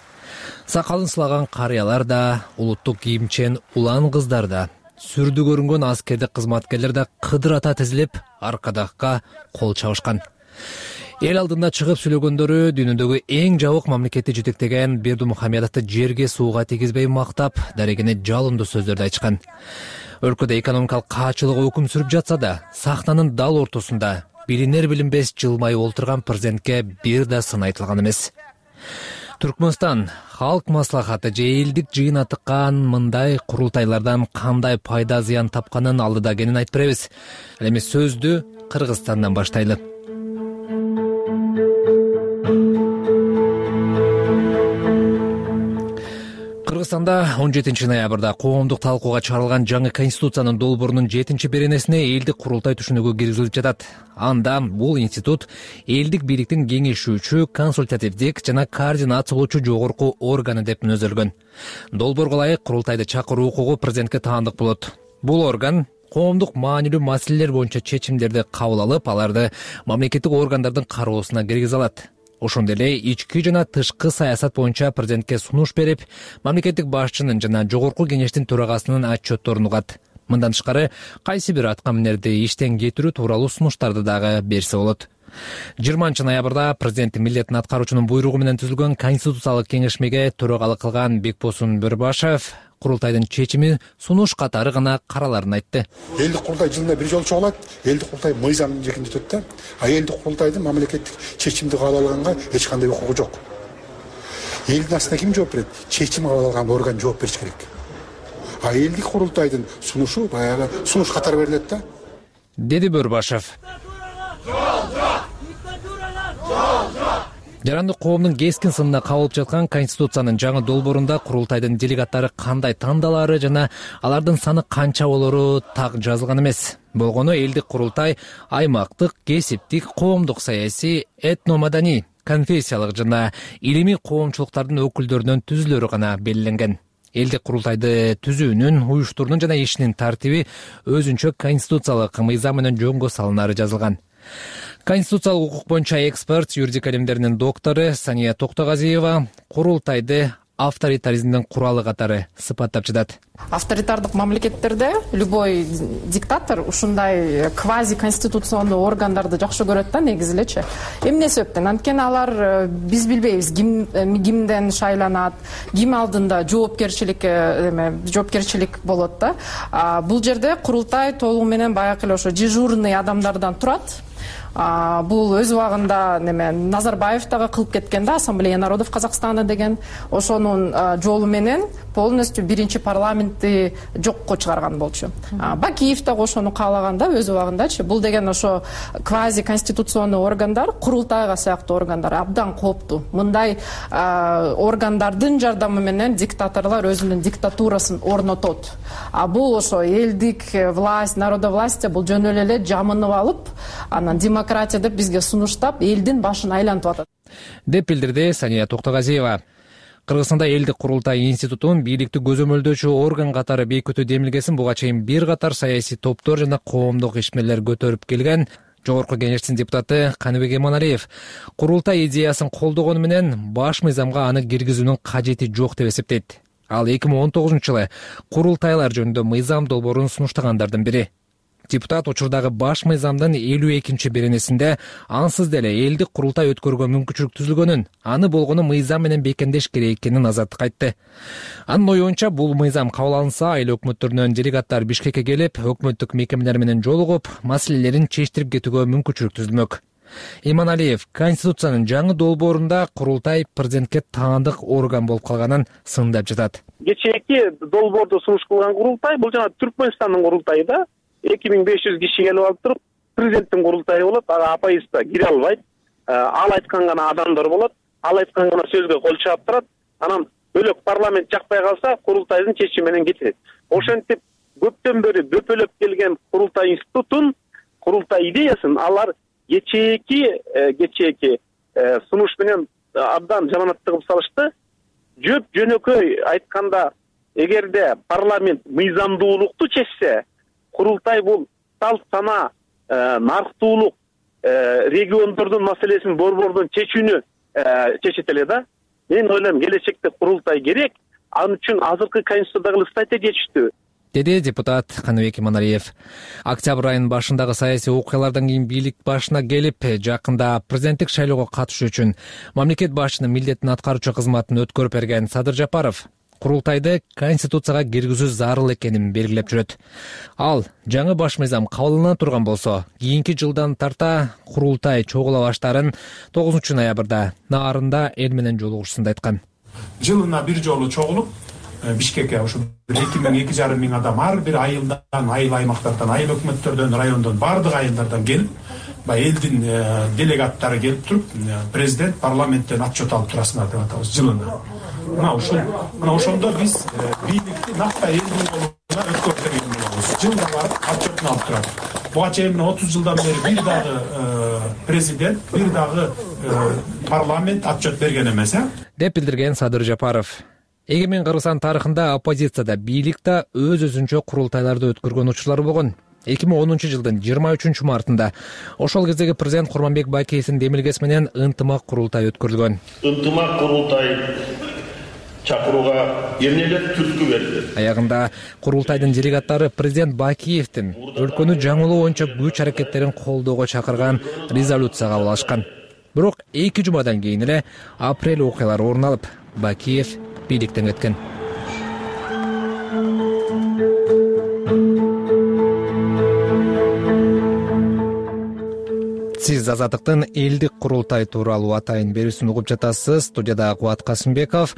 S15: Сакалын сылаган карыялар да, улуттук кийимчен улан кыздар да, сүрдү көрүнгөн аскердик кызматкерлер да кыдырата тизилип, аркадакка кол чабышкан. Эл алдында чыгып сүйлөгөндөрү дүйнөдөгү эң жабык мамлекетти жетектеген Бердимухамедовду жерге сууга тийгизбей мактап, дарегине жалындуу сөздөрдү айтышкан. Өлкөдө экономикалык каачылык өкүм сүрүп жатса да, сахнанын дал ортосунда билинер билинбес жылмайып олтурган президентке бир да сын айтылган эмес. Түркмөнстан халк маслахаты же элдик жыйын атыккан мындай курултайлардан кандай пайда зыян тапканын алдыда экенин айтып беребиз. Эми сөздү Кыргызстандан баштайлы. Кыргызстанда 17 ноябрда коомдук талкууга чыгарылган жаңы конституциянын долбоорунун 7-беренесине элдик курултай түшүнүгү киргизилип жатат. Анда бул институт элдик бийликтин кеңешүүчү, консультативдик жана координациялоочу жогорку органы деп мүнөздөлгөн. Долбоорго ылайык курултайды чакыруу укугу президентке таандык болот. Бул орган коомдук маанилүү маселелер боюнча чечимдерди кабыл алып, аларды мамлекеттик органдардын кароосуна киргизе алат. Ошондой эле ички жана тышкы саясат боюнча президентке сунуш берип, мамлекеттик башчынын жана жогорку кеңештин төрагасынын отчетторун угат. Мындан тышкары кайсы бир аткаминерди иштен кетирүү тууралуу сунуштарды дагы берсе болот. 20-ноябрда президенттин милдетин аткаруучунун буйругу менен түзүлгөн Конституциялык кеңешмеге төрөгалык кылган Бекбосун Бөрбашев курултайдын чечими сунуш катары гана караларын айтты.
S3: Элдик курултай жылына бир жолу чогулат, элдик курултай мыйзамдын жекинде өтөт да. Элдик курултайдын мамлекеттик чечимди кабыл алганга эч кандай укугу жок. Элдин астына ким жооп берет? Чечим кабыл алган орган жооп бериш керек. Элдик курултайдын сунушу баягы сунуш катары берилет да,
S15: деди Бөрбашев. Жарандык коомдун кескин сынына кабылып жаткан Конституциянын жаңы долбоорунда курултайдын делегаттары кандай тандалаары жана алардын саны канча болору так жазылган эмес. Болгону элдик курултай аймактык, кесиптик, коомдук, саясий, этномаданий, конфессиялык жана илимий коомчулуктардын өкүлдөрүнөн түзүлөрү гана белгиленген. Элдик курултайды түзүүнүн, уюштуруунун жана ишинин тартиби өзүнчө конституциялык мыйзам менен жөнгө салынары жазылган. Конституциялык укук боюнча эксперт, юридика илимдеринин доктору Сания Токтогазиева курултайды авторитаризмдин куралы катары сыпаттап жатат.
S5: Авторитардык мамлекеттерде любой диктатор ушундай квази конституционный органдарды жакшы көрөт да, негизи элечи. Эмне себептен? Анткени алар биз билбейбиз кимден шайланат, ким алдында жоопкерчилик болот да. Бул жерде курултай толугу менен баягы эле ошо дежурный адамдардан турат. Бул өз убагында Назарбаев дагы кылып кеткен да, Ассамблея народов Казакстана деген, ошонун жолу менен полностью биринчи парламентти жокко чыгарган болчу. Бакиев дагы ошону каалаган да өз убагындачы. Бул деген ошо квази конституционный органдар, курултайга сыяктуу органдар абдан кооптуу. Мындай органдардын жардамы менен диктаторлор өзүнүн диктатурасын орнотот. Бул ошо элдик власть, народовластие бул жөн эле жамынып алып, анан демократия деп бизге сунуштап, элдин башын айлантып атат,
S15: деп билдирди Сания Токтогазиева. Кыргызстанда элдик курултай институтун бийликти көзөмөлдөөчү орган катары бекитүү демилгесин буга чейин бир катар саясий топтор жана коомдук ишмерлер көтөрүп келген. Жогорку Кеңештин депутаты Каныбек Эманалиев курултай идеясын колдогону менен баш мыйзамга аны киргизүүнүн кажети жок деп эсептейт. Ал 2019-жылы курултайлар жөнүндө мыйзам долбоорун сунуштагандардын бири. Депутат учурдагы баш мыйзамдын 52-чи беренесинде ансыз деле элдик курултай өткөргөнгө мүмкүнчүлүк түзүлгөнүн, аны болгону мыйзам менен бекемдеш керек экенин азаттык айтты. Анын оюнча бул мыйзам кабыл алынса, айыл өкмөттөрүнөн делегаттар Бишкекке келип, өкмөттүк мекемелер менен жолугуп, маселелерин чечтирип кетүүгө мүмкүнчүлүк түзүлмөк. Эманалиев Конституциянын жаңы долбоорунда курултай президентке таандык орган болуп калганын сындап жатат.
S11: Кечээки долбоорду сунуш кылган курултай бул жана Түркмөнстандын курултайы да. 2500 киши келип алып туруп, президенттин курултайы болот, ага апайызда кире албайт. Ал айткан гана адамдар болот, ал айткан гана сөзгө кол чаап турат. Анан бөлөк парламент жакпай калса, курултайдын чечими менен кетет. Ошентип көптөн бери бөпөлөп келген курултай институтун, курултай идеясын алар кечээки сунуш менен абдан жаманаттыгып салышты. Жөнөкөй айтканда, эгерде парламент мыйзамдуулукту чечсе, курултай бул салт сана, нарктуулук, региондордун маселесин борбордон чечүүнү чечет эле да. Мен ойлойм, келечекте курултай керек, ал үчүн азыркы конституциядагы статья жетиштүү,
S15: деди депутат Каныбек Эманалиев. Октябрь айынын башындагы саясий окуялардан кийин бийлик башына келип, жакында президенттик шайлоого катышуу үчүн мамлекет башчынын милдетин аткаруучу кызматын өткөрүп берген Садыр Жапаров курултайды конституцияга киргизүү зарыл экенин белгилеп жүрөт. Ал жаңы баш мыйзам кабыл алына турган болсо, кийинки жылдан тарта курултай чогула баштарын 9-ноябрда Наарында эл менен жолугушуусунда айткан.
S10: Жылына бир жолу чогулуп, Бишкекке ушу 2,5 миң адам ар бир айылдан, айыл аймактардан, айыл өкмөттөрдөн, райондон, бардык айылдардан келип, элдин делегаттары келип туруп, президент парламенттен отчет алып турасыңар деп атабыз жылына. Мына ошондо биз бийликти накта элдин колуна өткөрүп берген болобуз. Жылда барып отчетун алып турат. Буга чейин 30 жылдан бери бир дагы президент, бир дагы парламент отчет берген эмес,
S15: деп билдирген Садыр Жапаров. Эгемен Кыргызстан тарыхында оппозицияда бийлик да өз-өзүнчө курултайларды өткөргөн учурлары болгон. 2010-жылдын 23 мартында ошол кездеги президент Курманбек Байкеевдин демилгеси менен ынтымак курултай өткөрүлгөн.
S12: Ынтымак курултай чакырууга эмнелер түрткү берди?
S15: Аягында курултайдын делегаттары президент Бакиевдин өлкөнү жаңылоо боюнча күч аракеттерин колдоого чакырган резолюция кабыл алышкан. Бирок 2 жумадан кийин эле апрель окуялары орун алып, Бакиев бийликтен кеткен. Сиз Азаттыктын элдик курултай тууралуу атайын берүүсүн угуп жатасыз. Студияда Кубат Касымбеков.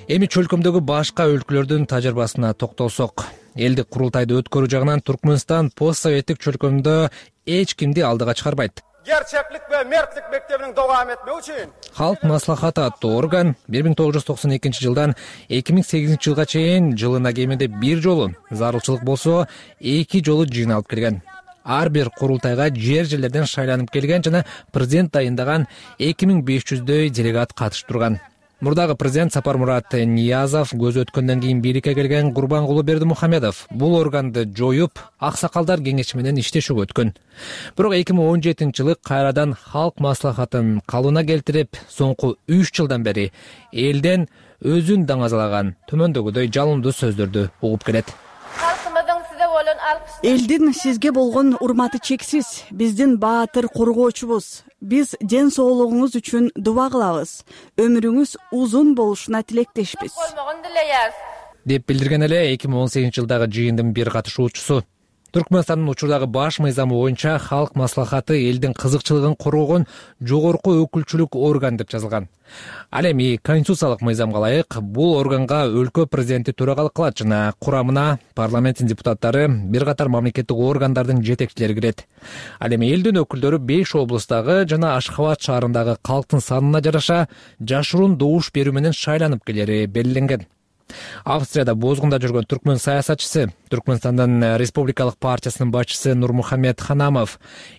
S15: Эми чөлкөмдөгү башка өлкөлөрдүн тажрыйбасына токтолсок. Элдик курултайды өткөрүү жагынан Түркмөнстан постсоветтик чөлкөмдө эч кимди алдыга чыгарбайт.
S26: Gerçeklik ve mertlik mektebinin devam etmesi için
S15: Халк маслахаты аттуу орган 1992 жылдан 2008 жылга чейин жылына кеминде бир жолу, зарылчылык болсо 2 жолу жыйналып келген. Ар бир курултайга жерлерден шайланып келген жана президент дайындаган 2500дөй делегат катышып турган. Мурдагы президент Сапармурат Ниязов көзү өткөндөн кийин бийликке келген Курбангулу Бердимухамедов бул органды жоюп, аксакалдар кеңеши менен иштешүүгө өткөн. Бирок 2017 жылы кайрадан халк маслахатын калыбына келтирип, соңку 3 жылдан бери элден өзүн даңазалаган төмөндөгүдөй жалындуу сөздөрдү угуп келет.
S23: Элдин сизге болгон урматы чексиз. Биздин баатыр коргоочубуз. Биз ден соолугуңуз үчүн дуба кылабыз. Өмүрүңүз узун болушуна тилектешпиз.
S15: Деп билдирген эле 2018 жылдагы жыйындын бир катышуучусу. Түркмөнстандын учурдагы баш мыйзамы боюнча халк маслахаты элдин кызыкчылыгын коргогон жогорку өкүлчүлүк орган деп жазылган. Ал эми конституциялык мыйзамга ылайык бул органга өлкө президенти төрагалык кылат жана курамына парламенттин депутаттары, бир катар мамлекеттик органдардын жетекчилери кирет. Ал эми элдин өкүлдөрү 5 облустагы жана Ашхабад шаарындагы калктын санына жараша жашыруун добуш берүү менен шайланып келери белгиленген. Австрияда бозгунда жүргөн түркмөн саясатчысы, Түркмөнстандын Республикалык партиясынын башчысы Нурмухаммед Ханамов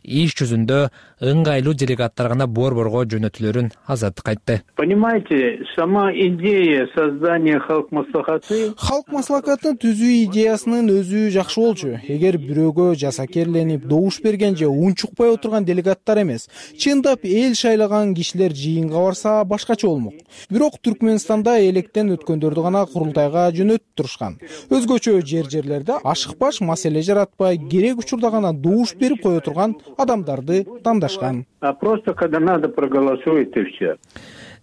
S15: иш жүзүндө ыңгайлуу делегаттар гана борборго жөнөтүлөрүн Азаттыкка айтты.
S13: Понимаете, сама идея создания халк маслахаты
S16: түзүү идеясынын өзү жакшы болчу. Эгер бирөөгө жасакерленип, добуш берген же унчукпай отурган делегаттар эмес, чындап эл шайлаган кишилер жыйынга барса башкача болмок. Бирок Түркмөнстанда электен өткөндөрдү гана курултайга жөнөтүп турушкан. Өзгөчө жерлерде ашыкпаш маселе жаратпай, керек учурда гана добуш берип кое турган адамдарды тандашкан.
S13: Просто когда надо проголосует и все.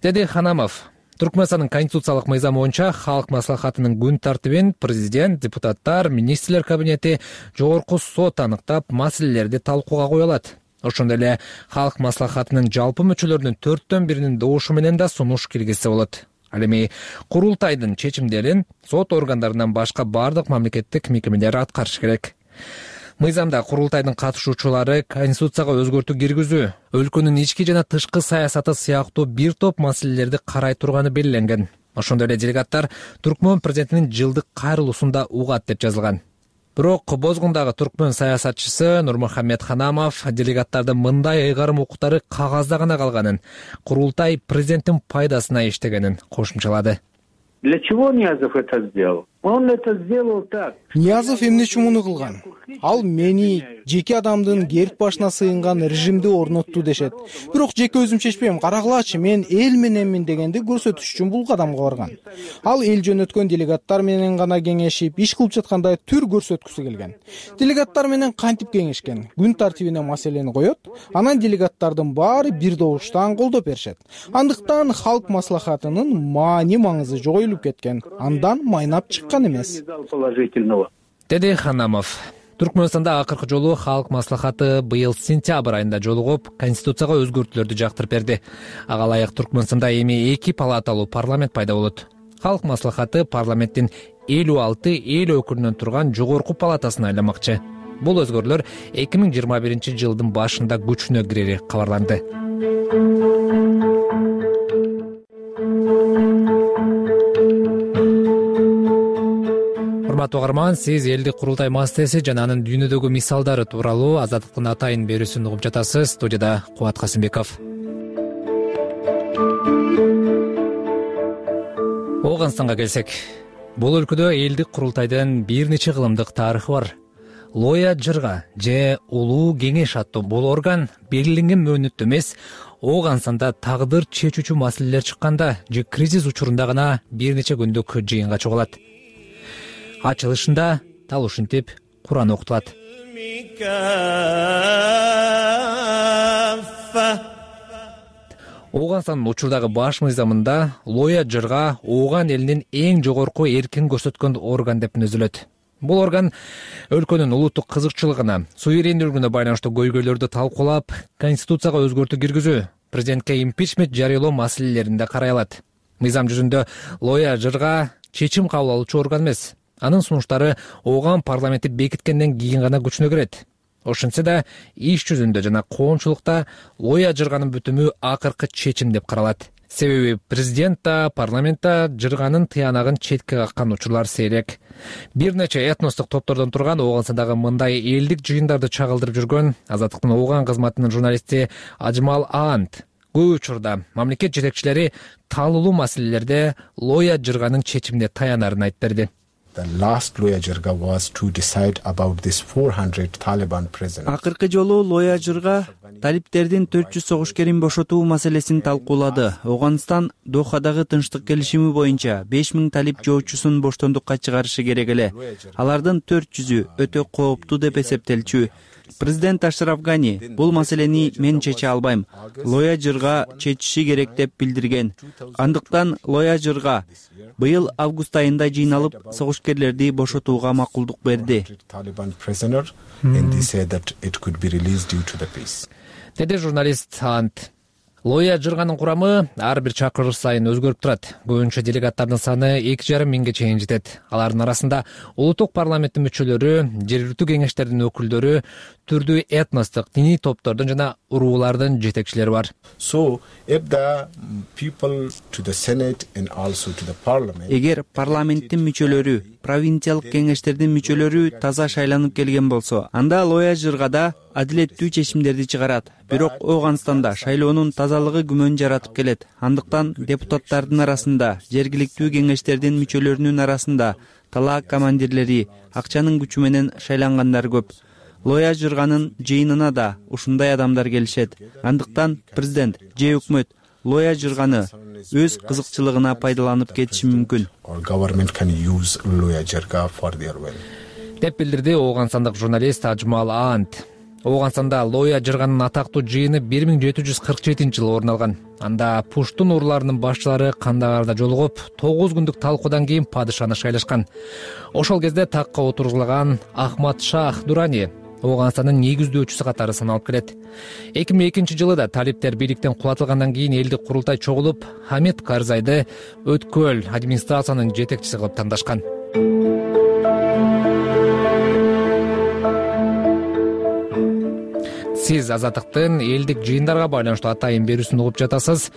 S15: Деди Ханамов. Түркмөнстандын конституциялык мыйзамы боюнча халк маслахатынын күн тартибин президент, депутаттар, министрлер кабинети, жогорку сот аныктап, маселелерди талкууга кое алат. Ошондой эле халк маслахатынын жалпы мүчөлөрүнүн 4/1 добушу менен да сунуш киргизсе болот. Ал эми курултайдын чечимдерин сот органдарынан башка бардык мамлекеттик мекемелер аткарыш керек. Мыйзамда курултайдын катышуучулары конституцияга өзгөртүү киргизүү, өлкөнүн ички жана тышкы саясаты сыяктуу бир топ маселелерди карай турганы белгиленген. Ошондой эле делегаттар Түркмөн президентинин жылдык кайрылуусунда угат деп жазылган. Бирок бозгундагы түркмөн саясатчысы Нурмухаммед Ханамов делегаттардын мындай ыйгарым укуктары кагазда гана калганын, курултай президенттин пайдасына иштегенин кошумчалады.
S13: Для чего Ниязов это сделал? Он это сделал так.
S16: Ниязов эмне үчүн муну кылган? Ал мени жеке адамдын керт башына сыйынган режимди орнотту дешет. Бирок жеке өзүм чечпейм, карагылачы, мен эл мененмин дегенди көрсөтүш үчүн бул кадамга барган. Ал эл жөнөткөн делегаттар менен гана кеңешип, иш кылып жаткандай түр көрсөткүсү келген. Делегаттар менен кантип кеңешкен? Күн тартибине маселени коет, анан делегаттардын баары бир добуштан колдоп беришет. Андыктан халк маслахатынын маани маңызы жогоюлуп кеткен. Андан майнап чыккан эмес.
S15: Деди Ханамов. Түркмөнстанда акыркы жолу халк маслахаты быйыл сентябрь айында жолугуп, конституцияга өзгөртүүлөрдү жактырып берди. Ага ылайык Түркмөнстанда эми 2 палаталуу парламент пайда болот. Халк маслахаты парламенттин 56 эл өкүлүнөн турган жогорку палатасын айламакчы. Бул өзгөрүүлөр 2021 жылдын башында күчүнө кирери кабарланды. Урматтуу угарман, сиз элдик курултай маселеси жана анын дүйнөдөгү мисалдары тууралуу Азаттыктын атайын берүүсүн угуп жатасыз. Студияда Кубат Касымбеков. Ооганстанга келсек, бул өлкөдө элдик курултайдын бир нече кылымдык тарыхы бар. лоя жырга же улуу кеңеш аттуу бул орган белгиленген мөөнөттө эмес, ооган санда тагдыр чечүүчү маселелер чыкканда же кризис учурунда гана бир нече күндүк жыйынга чогулат. Ачылышында tal ушинтип Куран окутулат. Ооганстандын учурдагы баш мыйзамында лоя жырга ооган элинин эң жогорку эркин көрсөткөн орган деп мүнөзөлөт. Бул орган өлкөнүн улуттук кызыкчылыгына, суверендүүлүгүнө байланыштуу көйгөйлөрдү талкуулап, конституцияга өзгөртүү киргизүү, президентке импичмент жарыялоо маселелеринде карай алат. Мыйзам жүзүндө лоя жырга чечим кабыл алуучу орган эмес. Анын сунуштары ооган парламенти бекиткенден кийин гана күчүнө кирет. Ошентсе да иш жүзүндө жана коомчулукта лоя жырганын бүтүмү акыркы чечим деп каралат. Себеби президент да, парламент да жырганын тыянагын четке каккан учурлар сейрек. Бир нече этностук топтордон турган Ооганстандагы мындай элдик жыйындарды чагылдырып жүргөн Азаттыктын ооган кызматынын журналисти Ажмал Аант көп учурда мамлекет жетекчилери талуулуу маселелерде лоя жырганын чечимине таянарын айтып берди.
S14: Акыркы жолу лоя жырга талиптердин 400 согушкерин бошотуу маселесин талкуулады. Ооганстан Дохадагы тынчтык келишими боюнча 5000 талип жоочусун боштондукка чыгарышы керек эле. Алардын 400-ü өтө кооптуу деп эсептелчү. Президент Ашраф Гани бул маселени мен чече албайм. Лоя жырга чечиши керек деп билдирген. Андыктан лоя жырга быйыл август айында жыйналып согушкерлерди бошотууга макулдук берди.
S15: Деди журналист Ант. Лоя жырганын курамы ар бир чакырыш сайын өзгөрүп турат. Көбүнчө делегаттардын саны 2,5 миңге чейин жетет. Алардын арасында улуттук парламенттин мүчөлөрү, жергиликтүү кеңештердин өкүлдөрү, түрдүү этностук, диний топтордун жана уруулардын жетекчилери бар.
S14: Эгер парламенттин мүчөлөрү, провинциялык кеңештердин мүчөлөрү таза шайланып келген болсо, анда лоя жыргада адилеттүү чечимдерди чыгарат. Бирок Ооганстанда шайлоонун тазалыгы күмөн жаратып келет. Андыктан депутаттардын арасында, жергиликтүү кеңештердин мүчөлөрүнүн арасында талаак командирлери, акчанын күчү менен шайлангандар көп. Лоя жырганын жыйынына да ушундай адамдар келишет. Андыктан президент же өкмөт лоя жырганы өз кызыкчылыгына пайдаланып кетиши мүмкүн.
S15: Деп билдирди Ооганстандык журналист Ажмал Аант. Ооганстанда лоя жырганын атактуу жыйыны 1747-жылы орун алган. Анда пуштун урууларынын башчылары Кандагарда жолугуп, 9 күндүк талкуудан кийин падышаны шайлашкан. Ошол кезде такка отургузулган Ахмад Шах Дурани Ооганстандын негиздөөчүсү катары саналып келет. 2002-жылы да талиптер бийликтен кулатылгандан кийин элдик курултай чогулуп, Хамид Карзайды өткөл администрациянын жетекчиси кылып тандашкан. Сиз Азаттыктын элдик жыйындарга байланыштуу атайын берүүсүн угуп жатасыз.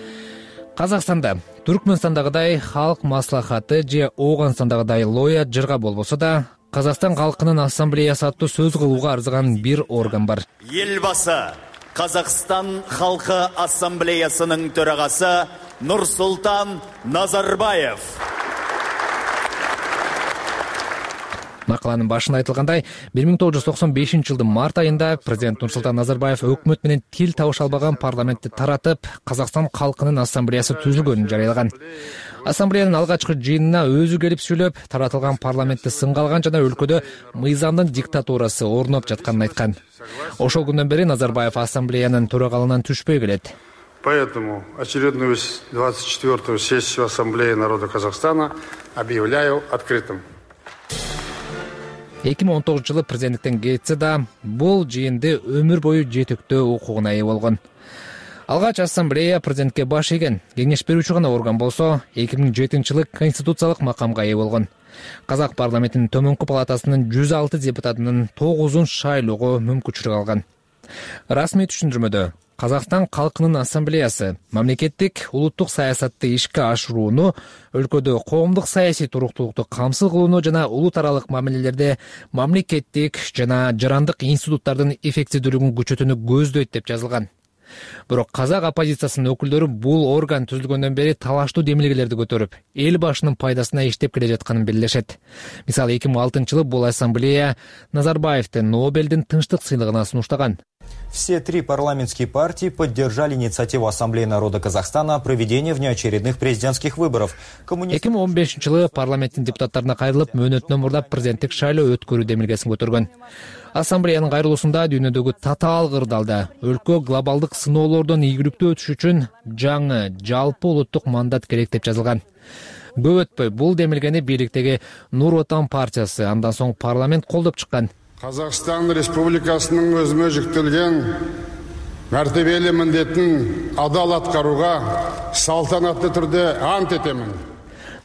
S15: Казакстанда Түркмөнстандагыдай халк маслахаты же Ооганстандагыдай лоя жырга болбосо да, Казакстан калкынын ассамблеясы аттуу сөз кылууга арзыган бир орган бар.
S17: Елбасы Казакстан халкы ассамблеясынын төрагасы Нурсултан Назарбаев.
S15: Макаланын башында айтылгандай, 1995-жылдын март айында президент Нурсултан Назарбаев өкмөт менен тил табыша албаган парламентти таратып, Казакстан калкынын ассамблеясы түзүлгөнүн жарыялаган. Ассамблеянын алгачкы жыйынына өзү келип сүйлөп, таратылган парламентти сынга алган жана өлкөдө мыйзамдын диктатурасы орноп жатканын айткан. Ошол күндөн бери Назарбаев ассамблеянын төрагалынан түшпөй келет.
S18: Поэтому очередную 24-ю сессию Ассамблеи народа Казахстана объявляю открытым.
S15: 2019-жылы президенттиктен кетсе да, бул жыйынды өмүр бою жетектөө укугуна ээ болгон. Алгач ассамблея президентке баш ийген, кеңеш берүүчү гана орган болсо, 2007-жылы конституциялык макамга ээ болгон. Казак парламентинин төмөнкү палатасынын 106 депутатынын 9-ун шайлоого мүмкүнчүлүк алган. Расмий түшүндүрмөдө Казакстан калкынын ассамблеясы мамлекеттик улуттук саясатты ишке ашырууну, өлкөдө коомдук саясий туруктуулукту камсыз кылууну жана улут аралык мамилелерде мамлекеттик жана жарандык институттардын эффективдүүлүгүн күчөтүүнү көздөйт деп жазылган. Бирок казак оппозициясынын өкүлдөрү бул орган түзүлгөндөн бери талаштуу демилгелерди көтөрүп, эл башынын пайдасына иштеп келе жатканын белгилешет. Мисалы 2006-жылы бул ассамблея Назарбаевди Нобелдин тынчтык сыйлыгына сунуштаган.
S4: Все три парламентские партии поддержали инициативу Ассамблеи народа Казахстана о проведении внеочередных президентских выборов.
S15: 2015-жылы парламенттин депутаттарына кайрылып, мөөнөтүнөн мурда президенттик шайлоо өткөрүү демилгесин көтөргөн. Ассамблеянын кайрылуусунда дүйнөдөгү татаал кырдаалда өлкө глобалдык сыноолордон ийгиликтүү өтүш үчүн жаңы жалпы улуттук мандат керек деп жазылган. Көп өтпөй бул демилгени бийликтеги Нур Отан партиясы андан соң парламент колдоп чыккан.
S18: Қазақстан Республикасының өзіме жүктелген мәртебелі міндетін адал атқаруға салтанатты түрде ант етемін.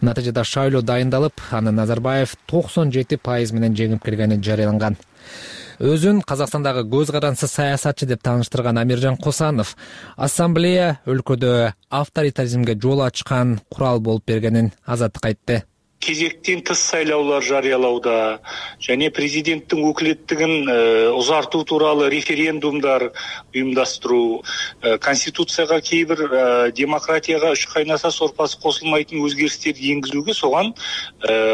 S15: Натыйжада шайлоо дайындалып, аны Назарбаев 97% менен жеңип келгени жарыяланган. Өзүн Казакстандагы көз карансыз саясатчы деп тааныштырган Амиржан Косанов ассамблея өлкөдө авторитаризмге жол ачкан курал болуп бергенин Азаттыкка айтты.
S6: Кезектен тыс сайлаулар жарыялауда және президенттің өкілеттігін ұзарту туралы референдумдар ұйымдастыру, конституцияға кейбір демократияға үш қайнаса сорпасы қосылмайтын өзгерістерді енгізуге соған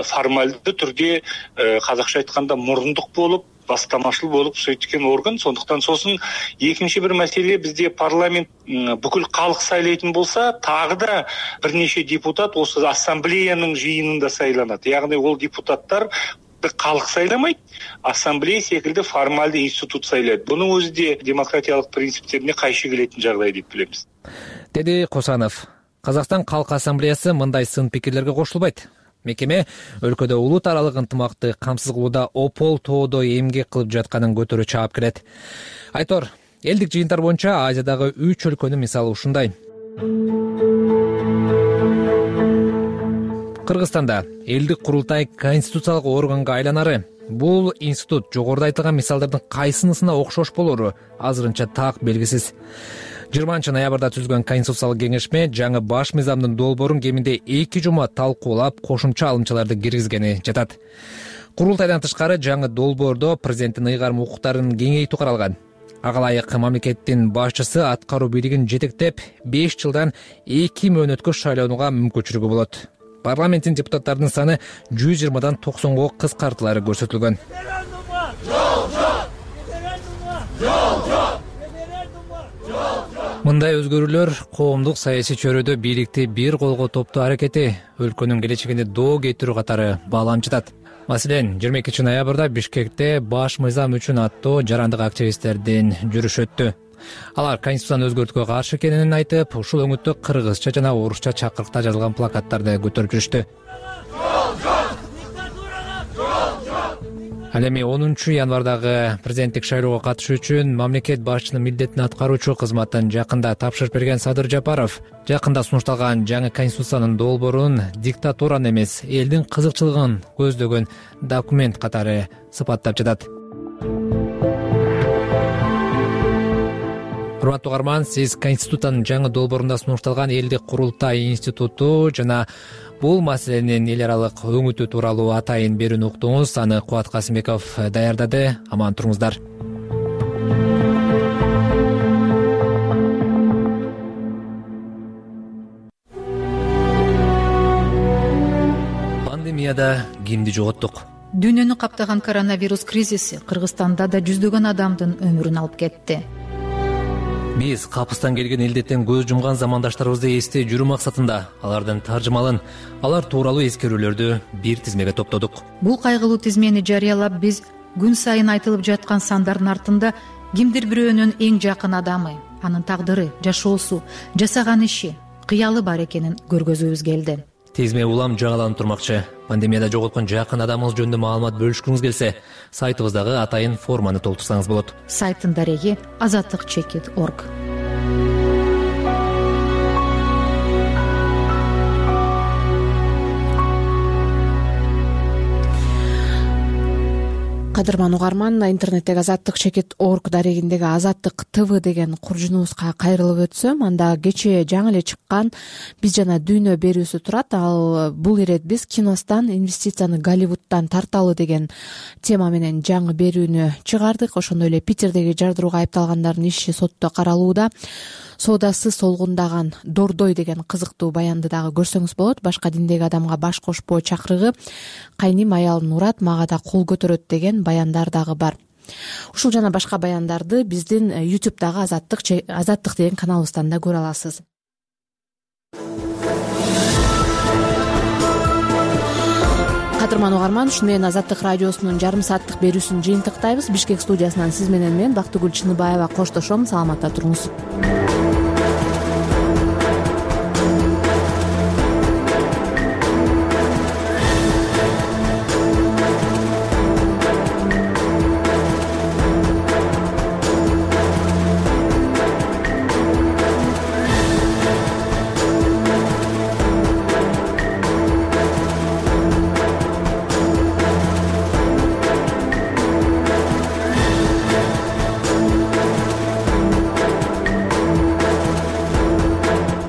S6: формальды түрде қазақша айтқанда мұрындық болып, бастамашыл болып сөйткен орган. Сондықтан сосын екінші бір мәселе, бізде парламент бүкіл халық сайлайтын болса, тағы да бірнеше депутат осы ассамблеяның жиынында сайланады. Яғни ол депутаттар халық сайламайды, ассамблея секілді формальды институт сайлайды. Бұның өзі де демократиялық принциптеріне қайшы келетін жағдай деп білеміз.
S15: Деді Косанов. Қазақстан Халк ассамблеясы мындай сын пикирлерге кошулбайт. Мекеме өлкөдө улут аралык ынтымакты камсыз кылууда опол тоодо эмгек кылып жатканын көтөрө чаап келет. Айтор, элдик жыйынтар боюнча Азиядагы 3 өлкөнүн мисалы ушундай. Кыргызстанда элдик курултай конституциялык органга айланары. Бул институт жогоруда айтылган мисалдардын кайсынысына окшош болору азырынча так белгисиз. 20 ноябрда түзүлгөн конституциялык кеңешме жаңы баш мыйзамдын долбоорун кеминде 2 жума талкуулап, кошумча алымчаларды киргизгени жатат. Курултайдан тышкары жаңы долбоордо президенттин ыйгарым укуктарын кеңейтүү каралган. Ага ылайык мамлекеттин башчысы аткаруу бийлигин жетектеп 5 жылдан 2 мөөнөткө шайлоонуга мүмкүнчүлүгү болот. Парламенттин депутаттарынын саны 120дан 90го кыскартылары көрсөтүлгөн. Мындай өзгөрүүлөр коомдук саясий чөйрөдө бийликти бир колго топтоо аракети өлкөнүн келечегине доо кетирүү катары бааланып. Маселен, 22 ноябрда Бишкекте баш мыйзам үчүн аттуу жарандык активисттердин жүрүшү өттү. Алар конституцияны өзгөртүүгө каршы экенин айтып, ушул өңүттө кыргызча жана орусча чакырыкта жазылган плакаттарды көтөрүп жүрүштү. Ал эми 10 январдагы президенттик шайлоого катышуу үчүн мамлекет башчынын милдетин аткаруучу кызматын жакында тапшырып берген Садыр Жапаров жакында сунушталган жаңы конституциянын долбоорун диктатураны эмес, элдин кызыкчылыгын көздөгөн документ катары сыпаттап жатат. Урматтуу угарман, сиз конституциянын жаңы долбоорунда сунушталган элдик курултай институту жана бул маселенин эл аралык өңүтүү тууралуу атайын берүүнү уктуңуз. Аны Кубат Касымбеков даярдады. Аман туруңуздар. Пандемияда кимди жоготтук?
S24: Дүйнөнү каптаган коронавирус кризиси Кыргызстанда да жүздөгөн адамдын өмүрүн алып кетти.
S15: Биз капыстан келген илдеттен көз жумган замандаштарыбызды эстей жүрүү максатында алардын таржымалын, алар тууралуу эскерүүлөрдү бир тизмеге топтодук.
S24: Бул кайгылуу тизмени жарыялап, биз күн сайын айтылып жаткан сандардын артында кимдир бирөөнүн эң жакын адамы, анын тагдыры, жашоосу, жасаган иши, кыялы бар экенин көргөзүүбүз келди.
S15: Тизме улам жаңыланып турмакчы. Пандемияда жоготкон жакын адамыңыз жөнүндө маалымат бөлүшкүңүз келсе, сайтыбыздагы атайын форманы толтурсаңыз болот.
S24: Сайттын дареги azatlyk.org.
S1: кадырман угарман, интернеттеги azattik.org дарегиндеги Азаттык ТВ деген куржунубузга кайрылып өтсөм, анда кечээ жаңы эле чыккан Биз жана дүйнө берүүсү турат. Ал бул ирет биз киностан инвестицияны Голливудтан тарталы деген тема менен жаңы берүүнү чыгардык. Ошондой эле Питердеги жардырууга айыпталгандардын иши сотто каралууда. Соодасы солгундаган Дордой деген кызыктуу баянды дагы көрсөңүз болот. Башка диндеги адамга баш кошпоо чакырыгы, кайним аялын урат, мага да кол көтөрөт деген баяндар дагы бар. Ушул жана башка баяндарды биздин YouTube'дагы Азаттык деген каналыбыздан да көрө аласыз. Кадырман угарман, ушуну менен Азаттык радиосунун жарым сааттык берүүсүн жыйынтыктайбыз. Бишкек студиясынан сиз менен мен Бактыгүл Чыныбаева коштошом. Саламатта туруңуз.